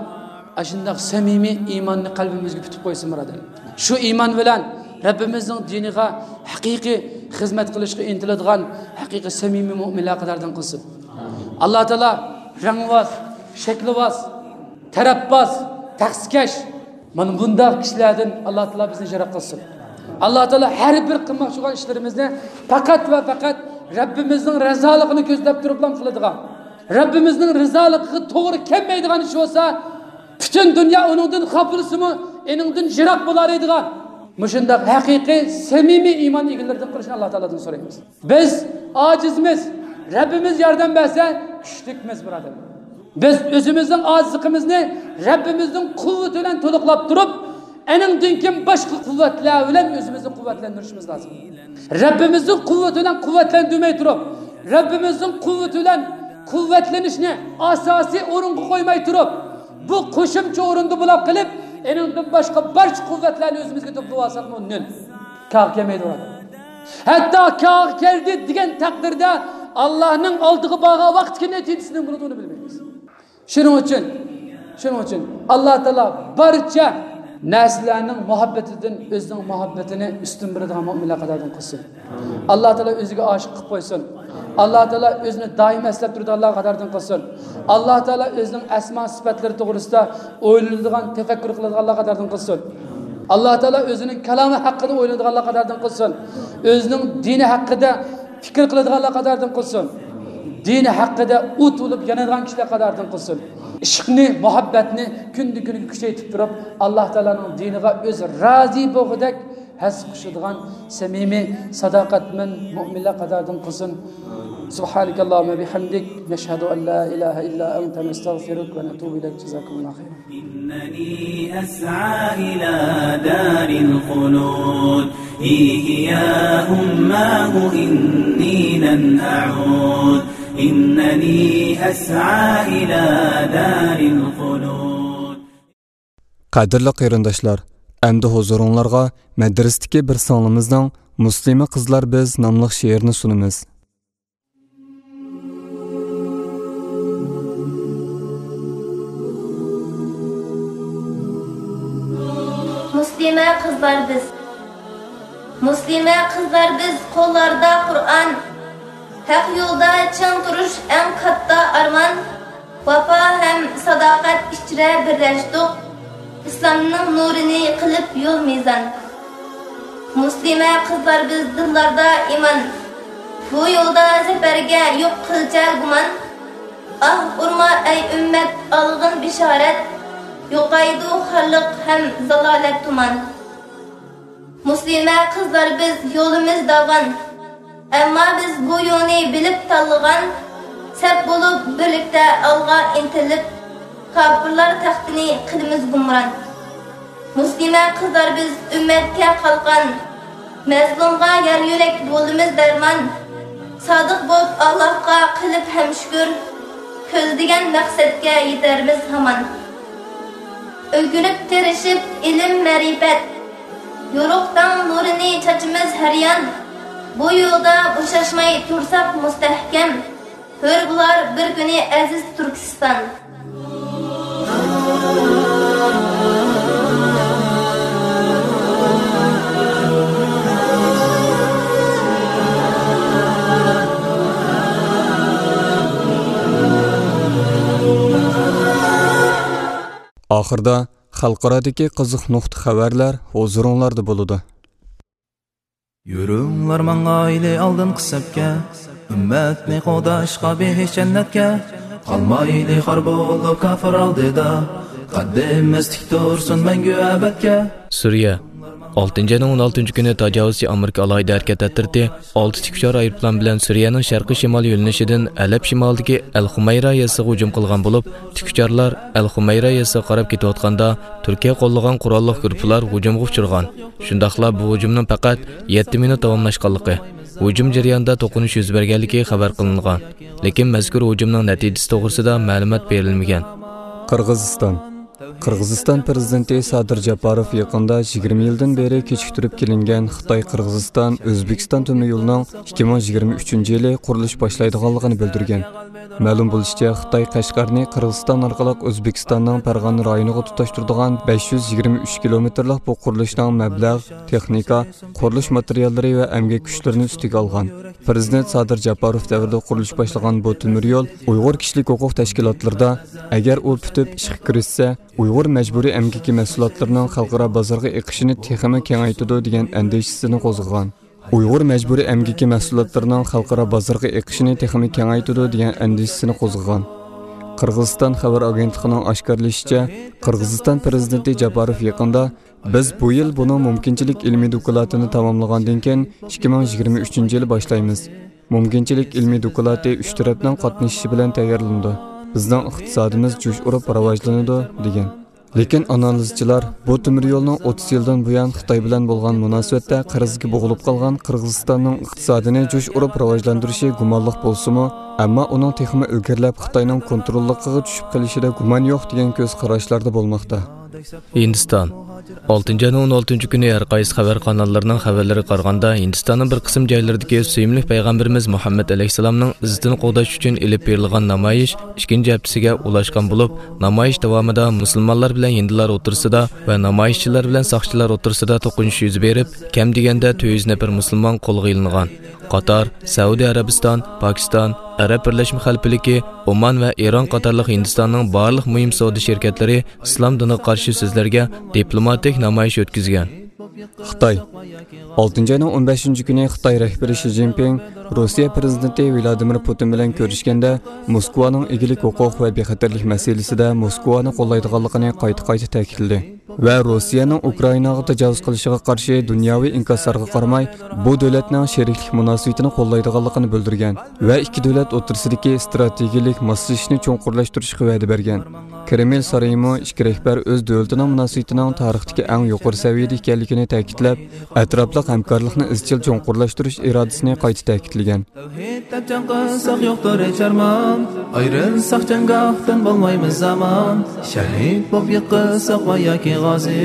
ئاشۇنداق سەمىمىي ئىماننى قەلبىمىزگە پۈتۈپ قويسۇن، بۇرادەر. شۇ ئىمان بىلەن رەببىمىزنىڭ دىنىغا ھەقىقىي خىزمەت قىلىشقا ئىنتىلىدىغان ھەقىقىي سەمىمىي مۆمىنلەر قاتارىدىن قىلسۇن. ئاللا تائالا رەڭۋاز، شەكىلۋاز، تەرەپباز، تەخسىكەش، مانا بۇنداق كىشىلەردىن ئاللا تائالا بىزنى يىراق قىلسۇن. ئاللا تائالا ھەر بىر قىلماقچى بولغان ئىشلىرىمىزنى پەقەت ۋە پەقەت رەببىمىزنىڭ رىزالىقىنى كۆزلەپ تۇرۇپلا قىلىدىغان، رەببىمىزنىڭ رىزالىقىغا توغرا كەلمەيدىغان ئىش بولسا، پۈتۈن دۇنيا ئۇنىڭدىن خاپىلىسىمۇ، ئېنىڭدىن يىراق بولالايدىغان، مۇشۇنداق ھەقىقىي، سەمىمىي ئىمان ئىگىلىرىدىن قىلىشنى ئاللا تائالادىن سورايمىز. بىز ئاجىزمىز، رەببىمىز ياردەم بەرسە، كۈچلۈكمىز، بۇرادەر. بىز ئۆزىمىزنىڭ ئاجىزلىقىمىزنى رەببىمىزنىڭ قۇۋۋىتى بىلەن تولۇقلاپ تۇرۇپ، ئېنىڭدىن كېيىن باشقا قۇۋۋەتلەر بىلەن ئۆزىمىزنى قۇۋۋەتلەندۈرۈشىمىز لازىم. رەببىمىزنىڭ قۇۋۋىتى بىلەن قۇۋۋەتلەندۈرمەي تۇرۇپ، رەببىمىزنىڭ قۇۋۋىتى بىلەن قۇۋۋەتلىنىشنى ئاساسىي ئورۇنغا قويماي تۇرۇپ، بۇ قوشۇمچە ئورۇندا بولاپ قېلىپ، ئېنىڭدىن باشقا بارچە قۇۋۋەتلەرنى ئۆزىمىزگە توپلىۋالساقمۇ نۆل. كارغا كەلمەيدۇ، بۇرادەر. ھەتتا كارغا كەلدى دېگەن تەقدىردە، ئاللانىڭ ئالدىغا بارغان ۋاقىتتىكى نەتىجىسى نېمە بولىدۇ، ئۇنى بىلمەيمىز. شۇنىڭ ئۈچۈن، شۇنىڭ ئۈچۈن ئاللا تائالا بارچە نەرسىلەرنىڭ مۇھەببىتىدىن ئۆزىنىڭ مۇھەببىتىنى ئۈستۈن بىلىدىغان مۆمىنلەر قاتارىدىن قىلسۇن. ئاللا تائالا ئۆزىگە ئاشىق قىلىپ قويسۇن. ئاللا تائالا ئۆزىنى دائىم ئەسلەپ تۇرىدىغانلار قاتارىدىن قىلسۇن. ئاللا تائالا ئۆزىنىڭ ئەسما سۈپەتلىرى توغرىسىدا ئويلىنىدىغان، تەپەككۇر قىلىدىغانلار قاتارىدىن قىلسۇن. ئاللا تائالا ئۆزىنىڭ كالامى ھەققىدە ئويلىنىدىغانلار قاتارىدىن قىلسۇن. ئۆزىنىڭ دىنى ھەققىدە پىكىر قىلىدىغانلار قاتارىدىن قىلسۇن. دىنى ھەققىدە ئوت بولۇپ يانىدىغان كىشىلەر قاتارىدىن قىلسۇن. ئىشقنى، مۇھەببەتنى كۈندىن كۈنگە كۈچەيتىپ تۇرۇپ، ئاللا تائالانىڭ دىنىغا ئۆزى رازى بولغۇدەك ھەسسە قوشىدىغان سەمىمىي، ساداقەتمەن مۆمىنلەر قاتارىدىن قىلسۇن. سبحانك اللهم وبحمدك، نشهد أن لا إله إلا أنت، نستغفرك ونتوب إليك. جزاكم الله خيرا. إنني أسعى إلى دار الخلود، هي هي أماه إني لن أعود، إنني أسعى إلى دار الخلود. قەدىرلىك قېرىنداشلار، ئەمدى ھۇزۇرۇڭلارغا مەدرىستىكى بىر سىڭلىمىزنىڭ مۇسلىمە قىزلار بىز ناملىق شېئىرىنى سۇنىمىز. مۇسلىمە قىزلار بىز. مۇسلىمە قىزلار بىز، قوللاردا قۇرئان. ھەق يولدا چىڭ تۇرۇش ئەڭ كاتتا ئارمان. ۋاپا ھەم ساداقەت ئىچرە بىرلەشتۇق، ئىسلامنىڭ نۇرىنى قىلىپ يول مىزان. مۇسلىمە قىزلار بىز، دىللاردا ئىمان، بۇ يولدا زەپەرگە يوق قىلچە گۇمان. ئاھ ئۇرما ئەي ئۈممەت، ئالغىن بېشارەت، يوقايدۇ خارلىق ھەم زالالەت تۇمان. مۇسلىمە قىزلار بىز، يولىمىز داۋان. ئەمما بىز بۇ يولنى بىلىپ تاللىغان. سەپ بولۇپ بىرلىكتە ئالغا ئىنتىلىپ، كاپىرلار تەختىنى قىلىمىز گۇمران. مۇسلىمە قىزلار بىز، ئۈممەتكە قالقان. مەزلۇمغا يار يۆلەك بولىمىز دەرمان. سادىق بولۇپ ئاللاھقا قىلىپ ھەم شۈكۈر، كۆزلىگەن مەقسەتكە يېتەرمىز ھامان. ئۆگىنىپ تىرىشىپ ئىلىم مەرىپەت، يورۇق تاڭ نۇرىنى چاچىمىز ھەر يان. بۇ يولدا بوشاشماي تۇرساق مۇستەھكەم، ھۆر بولار بىر كۈنى ئەزىز تۈركىستان. ئاخىردا خەلقئارادىكى قىزىق نۇقتا خەۋەرلەر ھۇزۇرۇڭلاردا بولىدۇ. يۈرۈڭلار ماڭايلى ئالدىنقى سەپكە، ئۈممەتنى قوغداشقا بېھىشت جەننەتكە. قالمايلى خار بولۇپ كاپىر ئالدىدا، قەددىمىز تىك تۇرسۇن مەڭگۈ ئەبەدكە. سۈرىيە. ئالتىنچى ئاينىڭ ئون ئالتىنچى كۈنى تاجاۋۇزچى ئامېرىكا ئالاھىدە ھەرىكەت ئەترىتى ئالتە تىكئۇچار ئايروپىلان بىلەن سۈرىيەنىڭ شەرقىي شىمال يۆنىلىشىدىن ھەلەب شىمالىدىكى ئەل خۇمەيرا يېزىسىغا ھۇجۇم قىلغان بولۇپ، تىكئۇچارلار ئەل خۇمەيرا يېزىسىغا قاراپ كېتىۋاتقاندا، تۈركىيە قوللىغان قوراللىق گۇرۇپپىلار ھۇجۇمغا ئۇچرىغان. شۇنداقلا بۇ ھۇجۇمنىڭ پەقەت يەتتە مىنۇت داۋاملاشقانلىقى، ھۇجۇم جەريانىدا توقۇنۇش يۈز بەرگەنلىكى خەۋەر قىلىنغان. لېكىن مەزكۇر ھۇجۇمنىڭ نەتىجىسى توغرىسىدا مەلۇمات بېرىلمىگەن. قىرغىزىستان. قىرغىزىستان پىرېزىدېنتى سادىر جاپاروف يېقىندا يىگىرمە يىلدىن بېرى كېچىكتۈرۈپ كېلىنگەن خىتاي، قىرغىزىستان، ئۆزبېكىستان تۆمۈر يولىنىڭ ئىككى مىڭ يىگىرمە ئۈچىنچى يىلى قۇرۇلۇش باشلايدىغانلىقىنى بىلدۈرگەن. مەلۇم بولۇشىچە، خىتاي قەشقەرنى قىرغىزىستان ئارقىلىق ئۆزبېكىستاننىڭ پەرغانە رايونىغا تۇتاشتۇرىدىغان بەش يۈز يىگىرمە ئۈچ كىلومېتىرلىق بۇ قۇرۇلۇشنىڭ مەبلەغ، تېخنىكا، قۇرۇلۇش ماتېرىياللىرى ۋە ئەمگەك كۈچلىرىنى ئۈستىگە ئالغان. پىرېزىدېنت سادىر جاپاروف دەۋرىدە قۇرۇلۇش باشلىغان بۇ تۆمۈر يول ئۇيغۇر كىشىلىك ھوقۇق تەشكىلاتلىرىدا، ئەگەر ئۇ پۈتۈپ ئىشقا كىرىشسە، ئۇيغۇر مەجبۇرىي ئەمگىكى مەھسۇلاتلىرىنىڭ خەلقئارا بازارغا ئېقىشىنى تېخىمۇ كېڭەيتىدۇ، دېگەن ئەندىشىسىنى قوزغىغان. ئۇيغۇر مەجبۇرىي ئەمگىكى مەھسۇلاتلىرىنىڭ خەلقئارا بازارغا ئېقىشىنى تېخىمۇ كېڭەيتىدۇ، دېگەن ئەندىشىسىنى قوزغىغان. قىرغىزىستان خەۋەر ئاگېنتلىقىنىڭ ئاشكارىلىشىچە، قىرغىزىستان پىرېزىدېنتى جاپاروف يېقىندا، بىز بۇ يىل بۇنىڭ مۇمكىنچىلىك ئىلمىي دوكلاتىنى تاماملىغاندىن كېيىن، ئىككى مىڭ يىگىرمە ئۈچىنچى يىلى باشلايمىز. مۇمكىنچىلىك ئىلمىي دوكلاتى ئۈچ تەرەپنىڭ قاتنىشىشى بىلەن تەييارلىنىدۇ. بىزنىڭ ئىقتىسادىمىز جۇش ئۇرۇپ راۋاجلىنىدۇ، دېگەن. لېكىن ئانالىزچىلار بۇ تۆمۈر يولنىڭ ئوتتۇز يىلدىن بۇيان خىتاي بىلەن بولغان مۇناسىۋەتتە قەرزگە بوغۇلۇپ قالغان قىرغىزىستاننىڭ ئىقتىسادىنى جۇش ئۇرۇپ راۋاجلاندۇرۇشى گۇمانلىق بولسىمۇ، ئەمما ئۇنىڭ تېخىمۇ ئىلگىرىلەپ خىتاينىڭ كونتروللۇقىغا چۈشۈپ قېلىشىدا گۇمان يوق، دېگەن كۆز قاراشلاردا بولماقتا. ھىندىستان. ئالتىنچى ئاينىڭ ئون ئالتىنچى كۈنى ھەر قايسى خەۋەر قاناللىرىنىڭ خەۋەرلىرىگە قارىغاندا، ھىندىستاننىڭ بىر قىسىم جايلىرىدىكى سۆيۈملۈك پەيغەمبىرىمىز مۇھەممەد ئەلەيھىسسالامنىڭ ئىززىتىنى قوغداش ئۈچۈن ئېلىپ بېرىلغان نامايىش ئىككىنچى ھەپتىسىگە ئۇلاشقان بولۇپ، نامايىش داۋامىدا مۇسۇلمانلار بىلەن ھىندىلار ئوتتۇرىسىدا ۋە نامايىشچىلار بىلەن ساقچىلار ئوتتۇرىسىدا توقۇنۇش يۈز بېرىپ، كەم دېگەندە تۆت يۈز نەپەر مۇسۇلمان قولغا ئېلىنغان. قاتار، سەئۇدى ئەرەبىستان، پاكىستان، ئەرەب بىرلەشمە خەلىپىلىكى، ئومان ۋە ئىران قاتارلىق ھىندىستاننىڭ بارلىق مۇھىم سودا شىركەتلىرى ئىسلام دىنىغا قارشى سۆزلەرگە دىپلوماتىك نامايىش ئۆتكۈزگەن. خىتاي. ئالتىنچى ئاينىڭ ئون بەشىنچى كۈنى خىتاي رەھبىرى شى جىنپىڭ روسىيە پىرېزىدېنتى ۋلادىمىر پۇتىن بىلەن كۆرۈشكەندە، موسكۋانىڭ ئىگىلىك ھوقۇق ۋە بىخەتەرلىك مەسىلىسىدە موسكۋانى قوللايدىغانلىقىنى قايتا-قايتا تەكىتلىدى. ۋە روسىيەنىڭ ئۇكرائىناغا تاجاۋۇز قىلىشىغا قارشى دۇنياۋى ئىنكاسلارغا قارىماي، بۇ دۆلەتنىڭ شېرىكلىك مۇناسىۋىتىنى قوللايدىغانلىقىنى بىلدۈرگەن ۋە ئىككى دۆلەت ئوتتۇرىسىدىكى ئىستراتېگىيىلىك ماسلىشىشنى چوڭقۇرلاشتۇرۇشقا ۋەدە بەرگەن. كرېمل سارىيىمۇ ئىككى رەھبەر ئۆز دۆلىتىنىڭ مۇناسىۋىتىنىڭ تارىختىكى ئەڭ يۇقىرى سەۋىيەدە ئىكەنلىكىنى تەكىتلەپ، ئەتراپلىق ھەمكارلىقنى ئىزچىل چوڭقۇرلاشتۇرۇش ئىرادىسىنى قايتا تەكىتلىگەن. تەۋھىد دەپ جەڭ قىلساق يوقتۇر ھېچ ئارمان، ئايرىلساق جەڭگاھتىن بولمايمىز ئامان، شەھىد بولۇپ يىقىلساق ۋە ياكى غازى،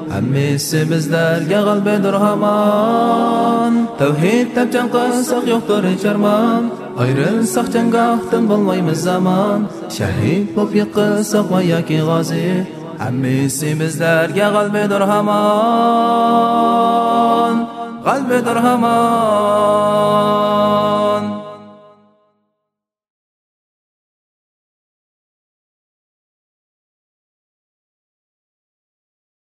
ھەممىسى بىزلەرگە غەلىبىدۇر ھامان. تەۋھىد دەپ جەڭ قىلساق يوقتۇر ھېچ ئارمان، ئايرىلساق جەڭگاھتىن بولمايمىز ئامان، شەھىد بولۇپ يىقىلساق ۋە ياكى غازى، ھەممىسى بىزلەرگە غەلىبىدۇر ھامان، غەلىبىدۇر ھامان.